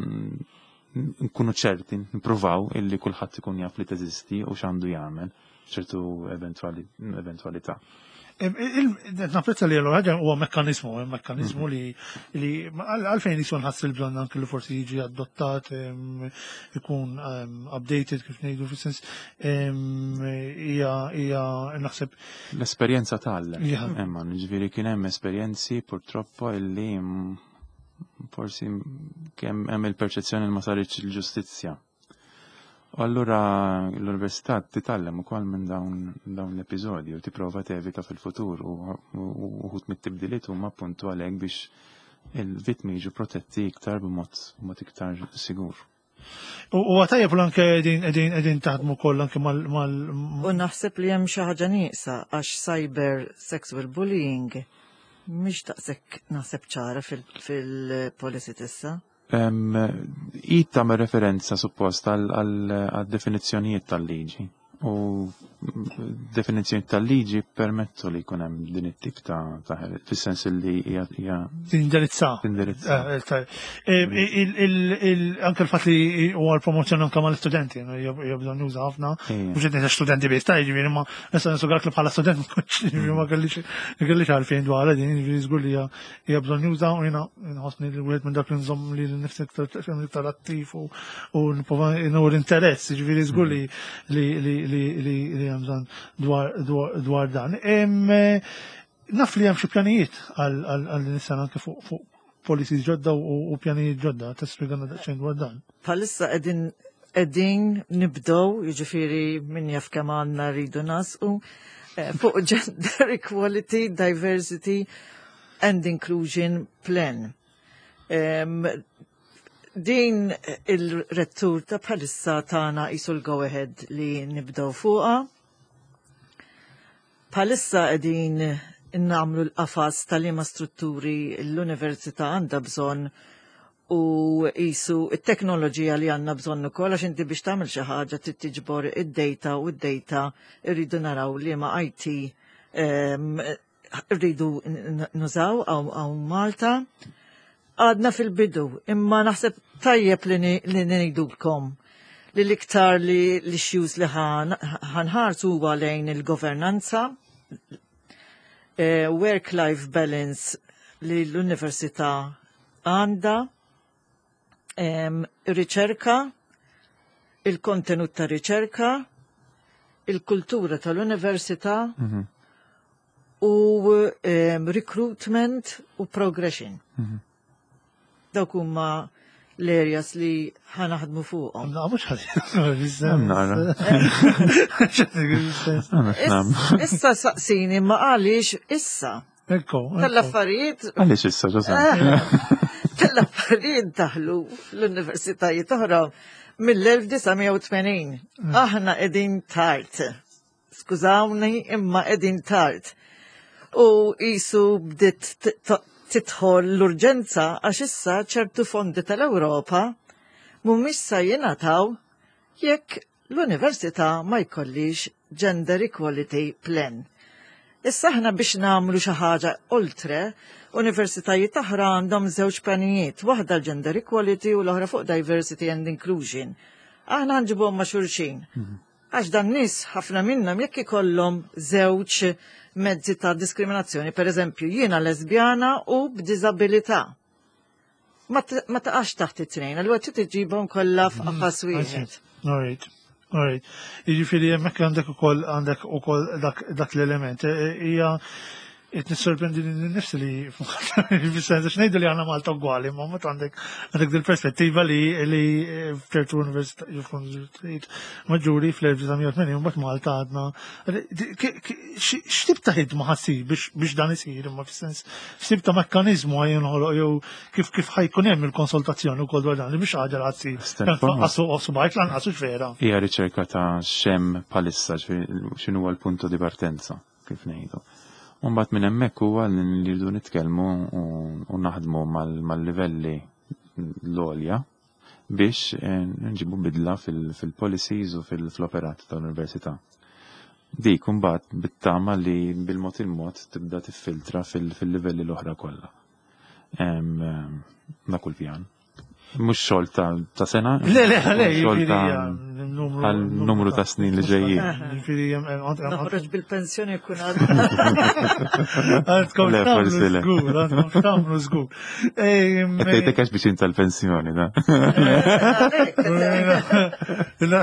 nkunu ċerti, nippruvaw illi kulħadd ikun jaf li teżisti u x'għandu jagħmel ċertu eventuali eventualità. Napprezza li l-ħaġa huwa mekkanizmu, mekkanizmu li li għalfejn jisun ħass il-bżonn anke li forsi jiġi adottat, em, ikun em, updated, kif ngħidu, fis-sens em, hija hija naħseb L-esperjenza tgħallem. Ja. Emma, ġifieri kien hemm esperjenzi purtroppo illi mm, forsi kemm hemm il-perċezzjoni li ma saritx il-ġustizzja. U allura l-università titgħallem ukoll minn dawn dawn l-episodji u tipprova tevita fil-futur u u uħud mit-tibdiliet huma appuntu għalhekk biex il-vittmi jiġu protetti iktar b'mod b'mod iktar sigur. U u għatajjeb l anke qegħdin qegħdin qegħdin taħdmu koll anke mal mal U naħseb li hemm xi ħaġa nieqsa għax cyber sexual bullying mhix daqshekk naħseb ċara fil- fil-policy tissa. Id tagħmel referenza suppost għal definizzjonijiet tal-liġi u Definizzjoni tal-liġi permettu li jkun hemm din it-tip ta' ta' fis-sens li hija hija Tindirizza. Tindirizza. Eh, eh, eh, il- il- il- Anke l-fatt li huwa l-promozzjoni anke mal-istudenti, hija bżonn juża ħafna. Ija. Mhux qed ngħid studenti biss, ta' jiġifieri ma nista' nisugalk li bħala student ma kontx jiġifieri ma kellix ma kellix għarfien dwar din, jiġifieri żgur li hija hija bżonn juża u jiena nħossni li wieħed minn dak li nżomm li nifsi iktar iktar attiv u u nipprova nur interess, jiġifieri żgur li li li li li li hemm bżonn dwar dwar dwar dan. Em, eh, Naf li hemm xi pjanijiet għal għal għal din is-sena anke fuq fuq policies ġodda u u pjanijiet ġodda, tispjegana daqsxejn dwar dan. Bħalissa qegħdin qegħdin nibdew, jiġifieri min jaf kemm għandna rridu nasqu, eh, fuq gender equality, diversity and inclusion plan. Em, din il-rettur ta' bħalissa tagħna qisu l-go ahead li nibdew fuqha. Bħalissa qegħdin nagħmlu l-qafas tal-liema strutturi l-università għandha bżonn u qisu it-teknoloġija li għandna bżonn ukoll, għax inti biex tagħmel xi ħaġa trid tiġbor id-data u d-data rridu naraw li ma I T em, rridu n- nużaw hawn Malta. Għadna fil-bidu, imma naħseb tajjeb li ni- li ngħidulkom li l-iktar li l-issues li ħan- ħanħarsu huwa lejn il-governanza, eh, work-life balance li l-università għandha, em, riċerka, il-kontenut ta' riċerka, il-kultura tal-università u em, recruitment u progression. Dawk huma l-areas li ħanaħdmu fuqhom. Na, mhux ħażin. Hemm nara. Għana x'nam. Issa saqsini ma għaliex issa. Ekku. Tal-affarijiet Għaliex issa, ġosan? Tal-affarijiet daħlu l-universitajiet oħra mill-elf disa' mija u tmenin. Aħna qegħdin tard. Skużawni, imma qegħdin tard. U qisu bdiet t- t- tidħol l-urġenza għax issa ċertu fondi tal-Ewropa mhumiex sa jingħataw jekk l-università ma jkollix Gender Equality Plan. Issa aħna biex nagħmlu xi ħaġa oltre, universitajiet oħra għandhom żewġ pjanijiet, waħda l-gender equality u l-oħra fuq diversity and inclusion. Aħna nġibuhom ma' xulxin. Għax dan nies ħafna minnhom jekk ikollhom żewġ mezzi ta' diskriminazzjoni, per eżempju jiena lesbjana u b'diżabilità. Ma t- ma taqax taħt it-tnejn, allura trid iġibhom kollha f'qafas wieħed. All right. All right. Jiġifieri hemmhekk għandek ukoll għandek ukoll dak dak l-element. E- e- Hija qed nissorprendi lili nnifsi li fis-sens għax ngħidu li għandna Malta ugwali, ma mbagħad għandek għandek dil-perspettiva li li f'ċertu università universitajiet maġġuri fl-elf disa' mija u tmenin mbagħad Malta għadna. X'tip ta' ħidma ħa ssir biex biex dan isir, imma fis-sens x'tip ta' mekkaniżmu ħa jinħoloq jew kif kif ħa jkun hemm il-konsultazzjoni wkoll dwar dan li biex ħaġa li ħa ssir. Step forward. Qasu subajk lanqas hux vera. Hija riċerka ta' x'hemm bħalissa, x'inhu huwa l-punto di partenza, kif ngħidu. Mbagħad minn hemmhekk huwa li rridu nitkellmu u u naħdmu mal- mal-livelli l-għolja biex eh, nġibu bidla fil- fil-policies u fil-operat tal-università. Dik mbagħad bit-tama li bil-mod il-mod tibda tiffiltra fil- fil-livelli l-oħra kollha. Em, em, Dak kull pjan. Mhux xogħol ta' ta' sena, Le, le, le, xogħol jiġifieri ta' numru għal numru ta' snin li ġejjin. Jiġifieri hemm- hemm- Noħroġ bil-pensjoni jkun għadha. Għandkom Le, tagħmlu forsi le. żgur, għandkom tagħmlu żgur. Ehm, Qed tgħidlek għax biex inta l-pensjoni, da. La,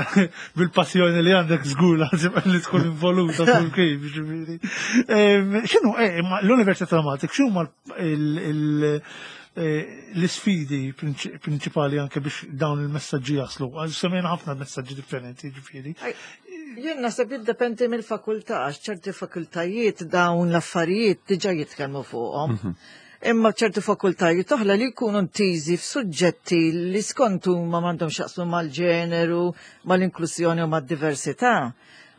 bil-passjoni li għandek żgur lazim li tkun involuta kull kif, ġifieri. Ehm, X'inhu, eh, ma l-Università ta' Malta, x'huma il- il- eh, l-isfidi prinċi- prinċipali anke biex dawn il-messaġġi jaslu? Għax semmejna ħafna messaġġi differenti, ġifieri. Jien naħseb jiddependi mill-fakultà, għax ċerti fakultajiet dawn l-affarijiet diġà jitkellmu fuqhom. Imma ċerti fakultajiet oħra li jkunu ntiżi f'suġġetti li skont huma m'għandhom x'jaqsmu mal-ġeneru, mal-inklusjoni u mad-diversità.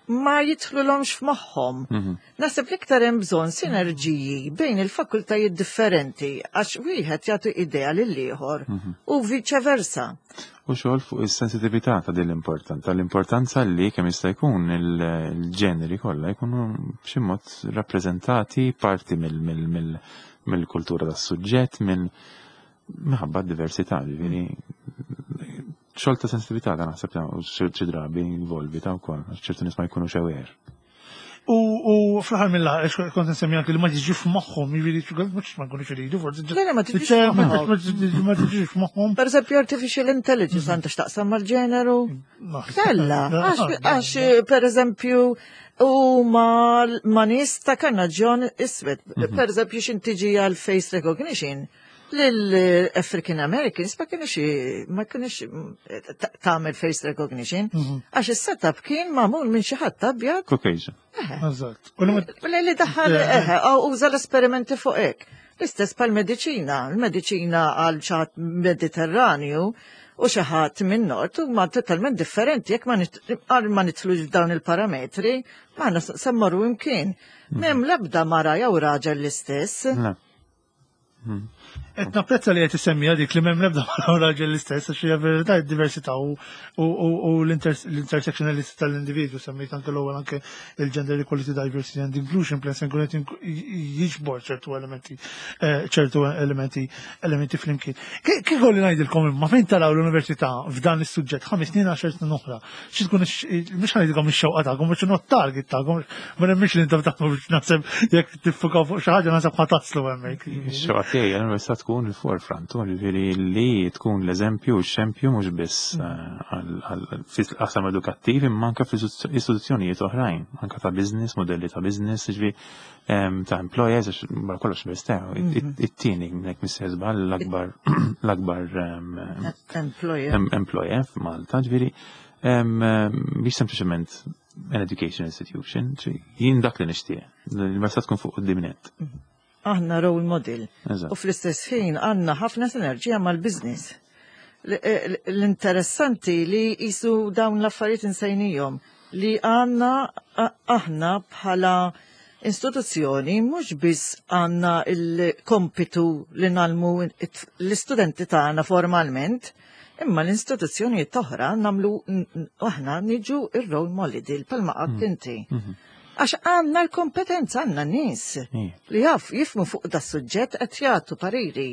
Ma jidħlulhomx f'moħħhom. Naħseb li iktar hemm bżonn sinerġiji bejn il-fakultajiet differenti, għax wieħed jagħti idea lil ieħor u viċe versa. U xogħol fuq is-sensitività ta' din l-importanza, l-importanza li kemm jista' jkun il-ġeneri kollha jkunu b'xi mod rappreżentati, parti mill-kultura tas-suġġett, minn minħabba d-diversità, ġifieri xogħol ta' sensitività ta' naħseb ta' u xi drabi involvi ta' wkoll, għax ċertu nies ma jkunux aware. U u fl-aħħar mill-aħħar, kont nsemmi anke li ma tiġi f'moħħhom, jiġifieri mhux ma nkunux iridu, forsi. Le, le, ma tiġix f'moħħhom. Ma tiġix f'moħħhom. Per eżempju, artificial intelligence għandha x'taqsam mal-ġeneru? Kella, għax, għax per eżempju, u ma, ma nies ta' karnaġġjon iswed. Per eżempju, x'ħin tiġi għal face recognition, l-African Americans ma kienux ma kienux tagħmel face recognition, għax is-setup kien magħmul minn xi ħadd abjad. Caucasian. Eżatt. U li ma- Li li daħal eħe, u uża l-esperimenti fuq hekk. L-istess pal-mediċina, il-mediċina għal xi ħadd Mediterranju u xi ħadd minn nord huma totalment differenti. Jekk ma nit- għal ma nidħlux f'dawn il-parametri, ma semmorru imkien. M'hemm l-ebda mara jew raġel l-istess. Le. Qed napprezza li qed isemmi dik li m'hemm l-ebda mara u raġel l-istess, għax hija verità, d-diversità u u l-intersectionality tal-individwu. Semmejt anke l-ewwel anke il-Gender Equality, Diversity and Inclusion Plan se nkun qed jiġbor ċertu elementi eh, ċertu elementi elementi flimkien. Kif li ngħidilkom, imma fejn taraw l-università f'dan is-suġġett ħames snin, għaxar snin oħra? Xi tkun, mhux ngħidilkom ix-xewqa tagħkom, mhux not target tagħkom, ma nemmix li intom taħdmu biex naħseb jekk tiffukaw fuq xi ħaġa naħseb ħa taslu hemmhekk. Ix-xewqa tiegħi l-università tkun il-forefront, ġifieri li tkun l-eżempju u x-xempju mhux biss eh, fil-qasam edukattiv imma anke fl-istituzzjonijiet oħrajn, anke ta' business, modelli ta' business, ġifieri ta' employers, għax barra kollox l-università it-tieni nek missejjer l-akbar l-akbar employer employer f'Malta, ġifieri biex sempliċement an education institution, jien dak li nixtieq. L-università tkun fuq quddiem nett. Aħna role model. U fl-istess ħin għandna ħafna sinerġija mal-business. L-interessanti li jisu dawn l-affarijiet insejnijom li għandna aħna bħala istituzzjoni mhux biss għandna il-kompitu li ngħallmu l-istudenti tagħna formalment, imma l-istituzzjoni oħra nagħmlu aħna, niġu ir-role model palma qatt mm. inti. Mhm. Għax għandna l-kompetenza, għandna nies li jaf jifhmu fuq da suġġett, qed jagħtu pariri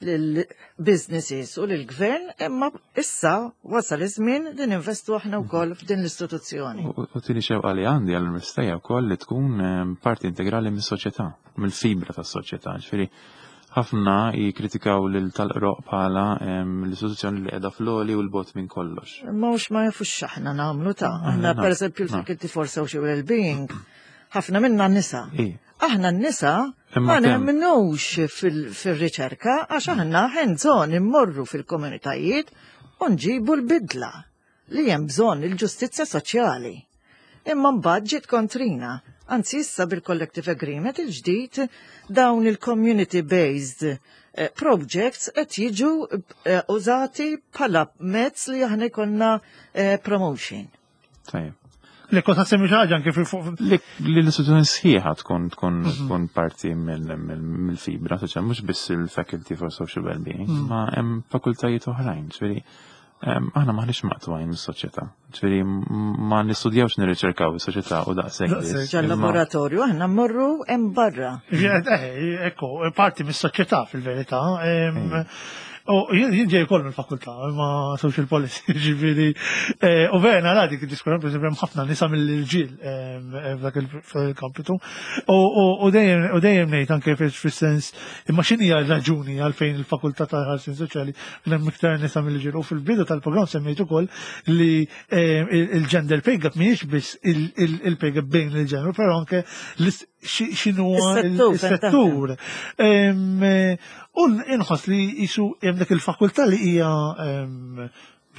lill-businesses u lill-gvern, imma issa wasal iż-żmien li ninvestu aħna wkoll f'din l-istituzzjoni. U tieni xewqa li għandi għall-università wkoll li tkun ehm, parti integrali mis-soċjetà, mill-fibra tas-soċjetà. Ġifieri ħafna jikritikaw lil tal-Qroqq bħala l-istituzzjoni li qiegħda fl-għoli u 'l bogħod minn kollox. Ma mhux ma jafux x'aħna nagħmlu ta' aħna, per eżempju, l-Faculty for Social Wellbeing, ħafna minna nisa. Aħna n-nisa ma nemminux fil-riċerka għax aħna hands-on immorru fil-komunitajiet u nġibu l-bidla li hemm bżonn, il-ġustizzja soċjali. Imma mbagħad ġiet kontrina. Anzi, issa bil-collective agreement il-ġdid dawn il-community-based eh, projects qed jiġu eh, użati bħala mezz li aħna jkollna eh, promotion. Tajjeb. Li kont ħassemmi xi ħaġa anke fil-fuq. Li li l-istituzzjoni sħiħa tkun tkun tkun parti mill- mill- mill-fibra soċjali, mhux biss il-Faculty for Social Wellbeing, ma hemm fakultajiet oħrajn, ġifieri em, aħna maħniex maqtugħin mis-soċjetà. Ġifieri m- ma nistudjawx, nirriċerkaw is-soċjetà u daqshekk Daqshekk. biss, Ġal imma- laboratorju aħna mmorru hemm barra. Eh, ekku, parti mis-soċjetà fil-verità. Em, U jien jien ġej ukoll mill-fakultà ma' social policy, ġifieri. eh, U vera nara dik id-diskursa, per eżempju, hemm ħafna nisa mill-irġiel em, eh, f'dak il-kampitu. U u- u dejjem u dejjem ngħid anke fis-sens, imma x'inhi r-raġuni għalfejn il-fakultà tal-ħarsien soċjali hemm iktar nisa mill-irġiel? U fil-bidu tal-programm semmejt ukoll li eh, il- il-gender pay gap mhijiex biss il- il- il-pay gap bejn il-ġeneru, però anke l-is- xi- x'inhu Is-settur, il-settur. Em, eh, U inħoss li jisu hemm dik il-fakultà li hija em,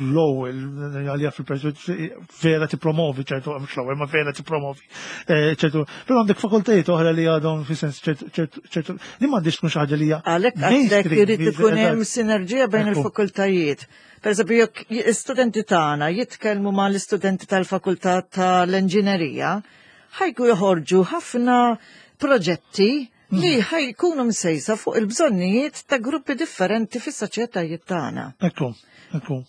l-ewwel għalija fil-perspettiva vera tippromovi ċertu, mhux l-ewwel, ma vera tippromovi eh, ċertu, però għandek fakultajiet oħra li għadhom fi sens ċertu ċertu li m'għandix tkun xi ħaġa li hija Għalhekk għandek mainstream, irid ikun hemm eżatt. sinerġija bejn Ekku. il-fakultajiet. Per eżempju, jekk l-istudenti tagħna jitkellmu ma' l-istudenti tal-fakultà tal-inġinerija, ħa jkunu joħorġu ħafna proġetti li ħa jkunu msejsa fuq il-bżonnijiet ta' gruppi differenti fis-soċjetajiet tagħna. Ekku, ekku.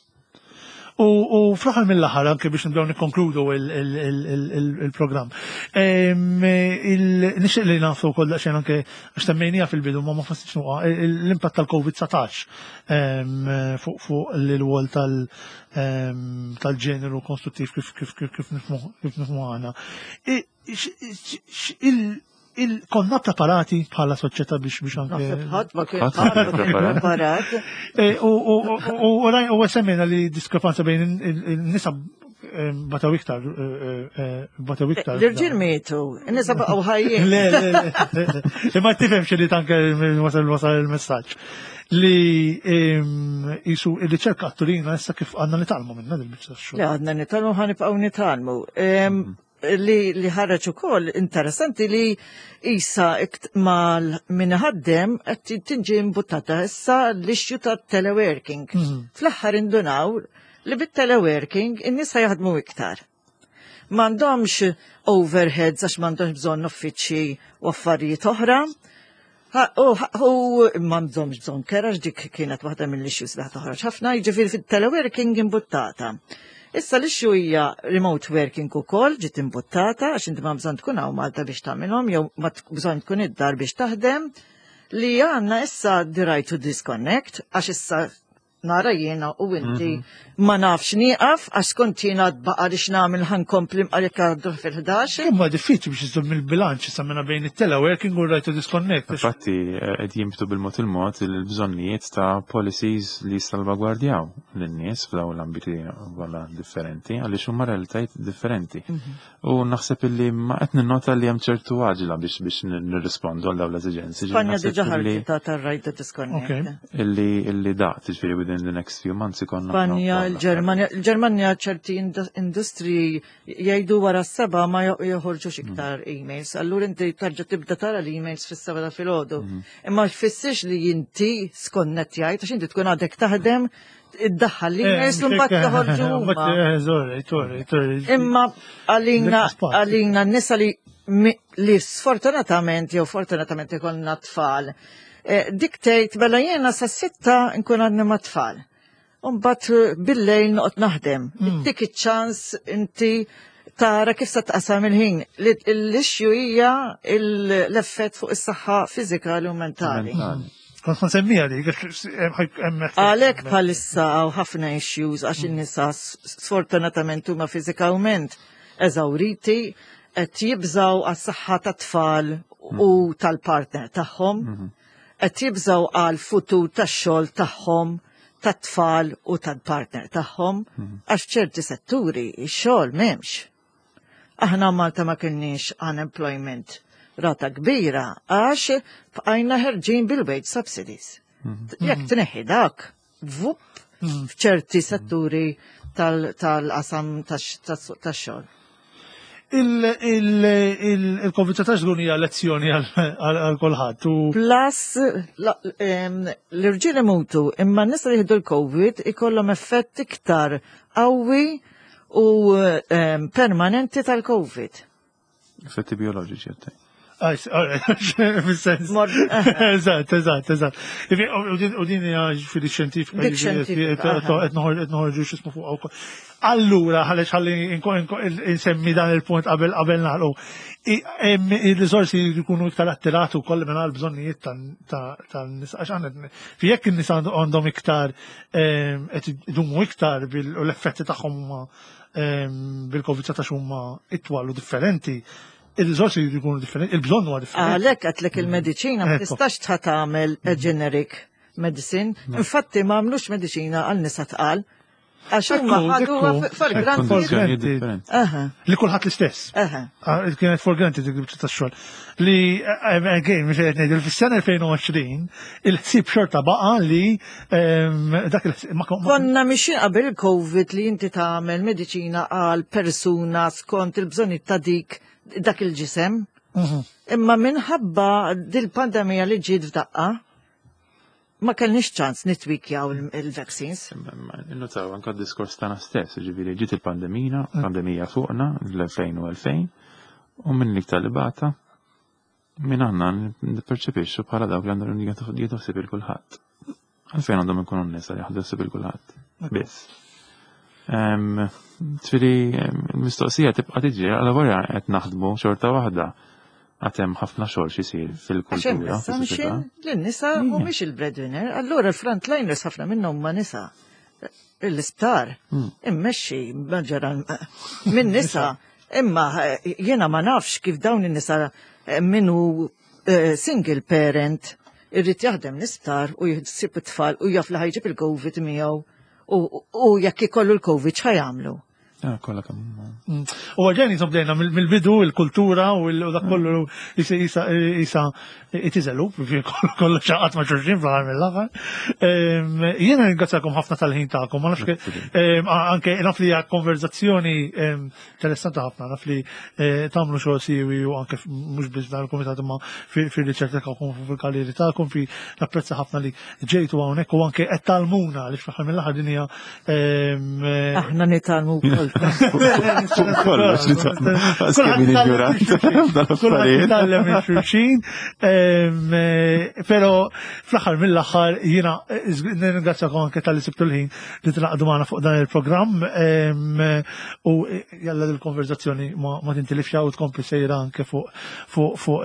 U, u fl-aħħar mill-aħħar anke biex nibdew nikkonkludu il-programm. Nixtieq li nafu wkoll daqsxejn anke għax semmejnieha fil-bidu ma ma fassitx nuqa l-impatt tal-COVID dsatax fuq fuq l-wol tal-ġeneru konstruttiv kif kif kif kif nifhmu kif nifhmu aħna. Konna preparati bħala soċjetà biex biex anke. Naħseb ħadd ma kien Ħadd ma kien preparat. preparat. Eh, U u- u- u raj- u semmejna li diskrepanza bejn il-nisa bataw iktar, eh, eh, bataw iktar. L-irġiel mietu, in-nisa baqgħu ħajjin. Le, le, le, le. Imma tifhem xi tanke wasal wasal il-messaġġ li em, jisu il-riċerka turina issa kif għandna nitgħallmu minna dil-biċċa xogħol. Le, għadna nitgħallmu, ħa nibqgħu nitgħallmu. Em, Li, li ħareġ ukoll interessanti li issa ikt mal min ħaddem qed tinġi imbuttata issa l-issue ta' teleworking. Fl-aħħar indunaw li bit-teleworking in-nisa jaħdmu iktar. M'għandhomx overheads għax m'għandhomx bżonn uffiċċji u affarijiet oħra. Ha- U u m'għandhomx bżonn kera, dik kienet waħda mill-issues li toħroġ ħafna, jiġifieri fit-teleworking imbuttata. Issa l-issue hija remote working ukoll ġiet imbuttata għax inti ma bżonn tkun hawn Malta biex tagħmilhom jew ma tkun bżonn tkun id-dar biex taħdem, li għandna issa the right to disconnect, għax issa nara jiena u inti ma nafx nieqaf għax kont jiena tbaqa' li x'nagħmel, ħa nkompli għalhekk għaddu fil-ħdax. Imma diffiċli biex iżomm il-bilanċ issa minna bejn it-teleworking u right to disconnect. Infatti, eh, qed jimbtu bil-mod il-mod il-bżonnijiet ta' policies li salvagwardjaw lin-nies f'dawn l-ambiti kollha differenti, għaliex huma realtajiet differenti. U naħseb illi ma qed ninnota li hemm ċertu għaġla biex biex nirrispondu għal dawn l-eżiġenzi. Spanja Naħseb diġà illi- ħarġet tar-right to disconnect. Ok. Illi illi daqt, ġifieri within the next few months ikonna. Spanja, il-Ġermanja, il-Ġermanja ċerti indu- industri jgħidu wara s-sebgħa ma jo- joħorġux iktar emails. Allura inti tarġa tibda tara l-emails fis-sebgħa ta' filgħodu. Imma jfissirx li inti skonnettjajt, għax inti tkun għadek taħdem, iddaħħal l-emails u mbagħad toħorġu huma. Sorry, sorry, sorry. Imma għalina Dik spazju. għalina n-nisa li mi- li sfortunatament jew fortunatament ikollna tfal. eh, Dik tgħid mela jiena sa sitta nkun għadni ma' tfal. Umbagħad bil-lejl noqgħod naħdem. Dik iċ-ċans inti tara kif se tqasam il-ħin. Li- L-issue hija l-effett fuq is-saħħa fiżikali u mentali. Mentali. Kont ma semmija li. Għalhekk bħalissa hawn ħafna issues għax in-nisa s- sfortunatament huma fiżikament eżawriti, qed jibżaw għas-saħħa tat-tfal u tal-partner tagħhom, qed jibżaw għal futur tax-xogħol tagħhom, tat-tfal u tal-partner tagħhom, għax ċerti setturi ix-xogħol m'hemmx. Aħna Malta ma kienniex unemployment rata kbira għax bqajna ħerġin bil-wage subsidies. Jekk tneħħi dak, vup, f'ċerti setturi tal-qasam tax-xogħol. Il-COVID dsatax żgur hija lezzjoni għal kulħadd. u- Plus, la- em, l-irġiel imutu, imma n-nisa li jieħdu l-COVID ikollhom effett iktar qawwi u em, permanenti tal-COVID. Effetti bioloġiċi għattaj. Ah, s- alright, fis-sens. Mor- Eżatt, eżatt, eżatt. Ifi, U din- u din hija ġifieri xjentifika. Dik ġifieri xjentifika, qed qed noħor- qed noħorġu x'ismu fuq wkoll. Allura, ħallex ħalli inko- inko- insemmi dan il-punt qabel qabel nagħlqu. I- hemm il-riżorsi jkunu iktar attirati wkoll minn għal bżonnijiet tan-nisa. Għax għandna fi jekk in-nisa għandhom iktar em, qed idumu iktar bil- u l-effetti tagħhom huma em, bil-COVID dsatax huma itwal u differenti, il-riżorsi jkunu differenti, il-bżonn huwa differenti. Għalhekk għedtlek il-mediċina ma Ekku. tistax tħa tagħmel a generic medicine. Infatti ma għamlux mediċina għal nisa tqal. Għax huma ħaduha for granted. Kondizjonijiet differenti. Aha, Li kulħadd l-istess. aha. Ah, kienet for granted dik il-biċċa tax-xogħol. Li eh, again, mhux qed ngħidu fis-sena elfejn u għoxrin il-ħsieb xorta baqa' li ehm, dak il-ħsieb ma ma- Konna mixin qabel il-Covid li inti tagħmel mediċina għal persuna skont il-bżonni ta' dik dak il-ġisem. Mhm. Imma minħabba dil-pandemija li ġiet f'daqqa, ma kellniex ċans nitwikjaw il- il-vaccines. Notaw anka d-diskors tagħna stess, ġifieri ġiet il-pandemija, pandemija fuqna l-elfejn u elfejn, u minn l-iktar li bata, minn għandna nipperċepixxu bħala dawk li għandhom jieħdu ħsieb il kulħadd. Għalfejn għandhom ikunu n-nisa li jaħdu ħsieb il kulħadd. Biss. Ġifieri, il-mistoqsija tibqa' tiġi għal wara qed naħdmu xorta waħda. Għad hemm ħafna xogħol xisir Għax hemm fil-kultura, fis-soċjetà. assumption li n-nisa mhumiex il-breadwinner, allura il-frontliners ħafna minnhom ma nisa. L-isptar, immexxi maġġoran minn nisa, imma eh, jiena ma nafx kif dawn in-nisa eh, minnu eh, single parent irrid jaħdem l-isptar u jħsib it-tfal u jaf li ħa jġib il-Covid miegħu u u jekk ikollu l-Covid x'ħa jagħmlu. Ah, kollha kemm. Mm. U għalġeni jisom bdejna mill-bidu il-kultura u il- u dak kollu jisa jisa jisa itiżelu, kollu xaqat ma' xulxin fl-aħħar mill-aħħar. Em, Jiena ringrazzakom ħafna tal-ħin tagħkom, ma nafx ke- em, anke naf li hija konverzazzjoni em, interessanti ħafna, naf li eh, tagħmlu xogħol siwi u anke f- mhux biss dan il-kumitat imma fir-riċerka tagħkom u fil-karrieri tagħkom fi napprezza ħafna li ġejtu hawnhekk u anke qed tgħallmuna li fl-aħħar mill-aħħar din hija em, eh, Aħna nitgħallmu wkoll. Kollox nitgħallmu. Kemm min ignorant f'dal-affarijiet. Tgħallem minn xulxin, em, eh, pero fl-aħħar mill-aħħar jiena eh, nirringrazzjakom anke talli sibtu l-ħin li tingħaqdu magħna fuq dan il-programm em, u eh, jalla l-konverzazzjoni ma ma tintilifx u tkompli sejra anke fuq fuq fuq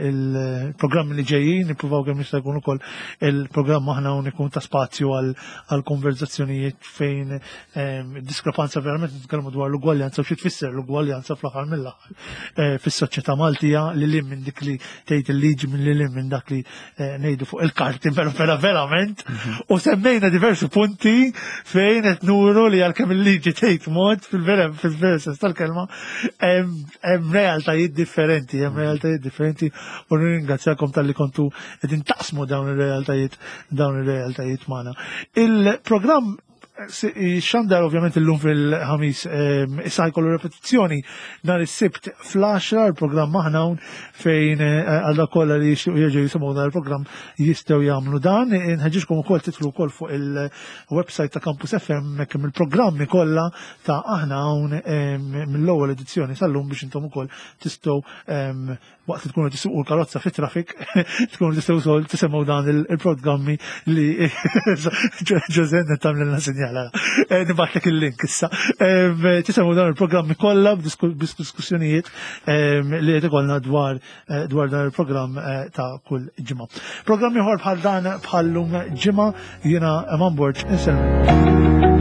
il-programmi li ġejjin, nippruvaw kemm jista' jkun ukoll il-programm aħna u ikun ta' spazju għal għal konverzazzjonijiet fejn em, diskrepanza verament nitkellmu dwar l-ugwaljanza u xi tfisser l-ugwaljanza fl-aħħar mill-aħħar eh, fis-soċjetà Maltija li lim minn dik li tgħid il-liġi minn li lim minn dak li eh, ngħidu fuq il-karti però vera verament u semmejna diversi punti fejn qed nuru li għalkemm il-liġi tgħid mod fil-vera fil-vera sens tal-kelma hemm hemm realtajiet differenti, hemm realtajiet differenti u nirringrazzjakom talli kontu qegħdin taqsmu dawn ir-realtajiet dawn ir-realtajiet magħna. Il-programm xandar ovvjament illum fil-ħamis, ehm, issa jkollu repetizzjoni nhar is-Sibt fl-għaxra il-programm aħna hawn fejn eh, għal dawk kollha li jixtiequ jerġgħu jisimgħu dan il-programm jistgħu jagħmlu dan. Inħeġġiġkom ukoll tidħlu wkoll fuq il-website ta' Campus F M hekk il-programmi kollha ta' aħna hawn ehm, mill-ewwel edizzjoni sal-lum biex intom ukoll tistgħu ehm, waqt li tkunu tisuqu l-karozza fit-traffic tkunu tistgħu wkoll tisimgħu dan il- il-programmi li Ġożen tagħmlilna sinjala. Eh, Nibgħatlek il-link issa. Em, Tisimgħu dan il-programmi kollha b'disku- b'diskussjonijiet em, li qed ikollna dwar eh, dwar dan il-programm eh, ta' kull ġimgħa. Programm ieħor bħal dan bħallum ġimgħa, jiena Eman Borg insellem.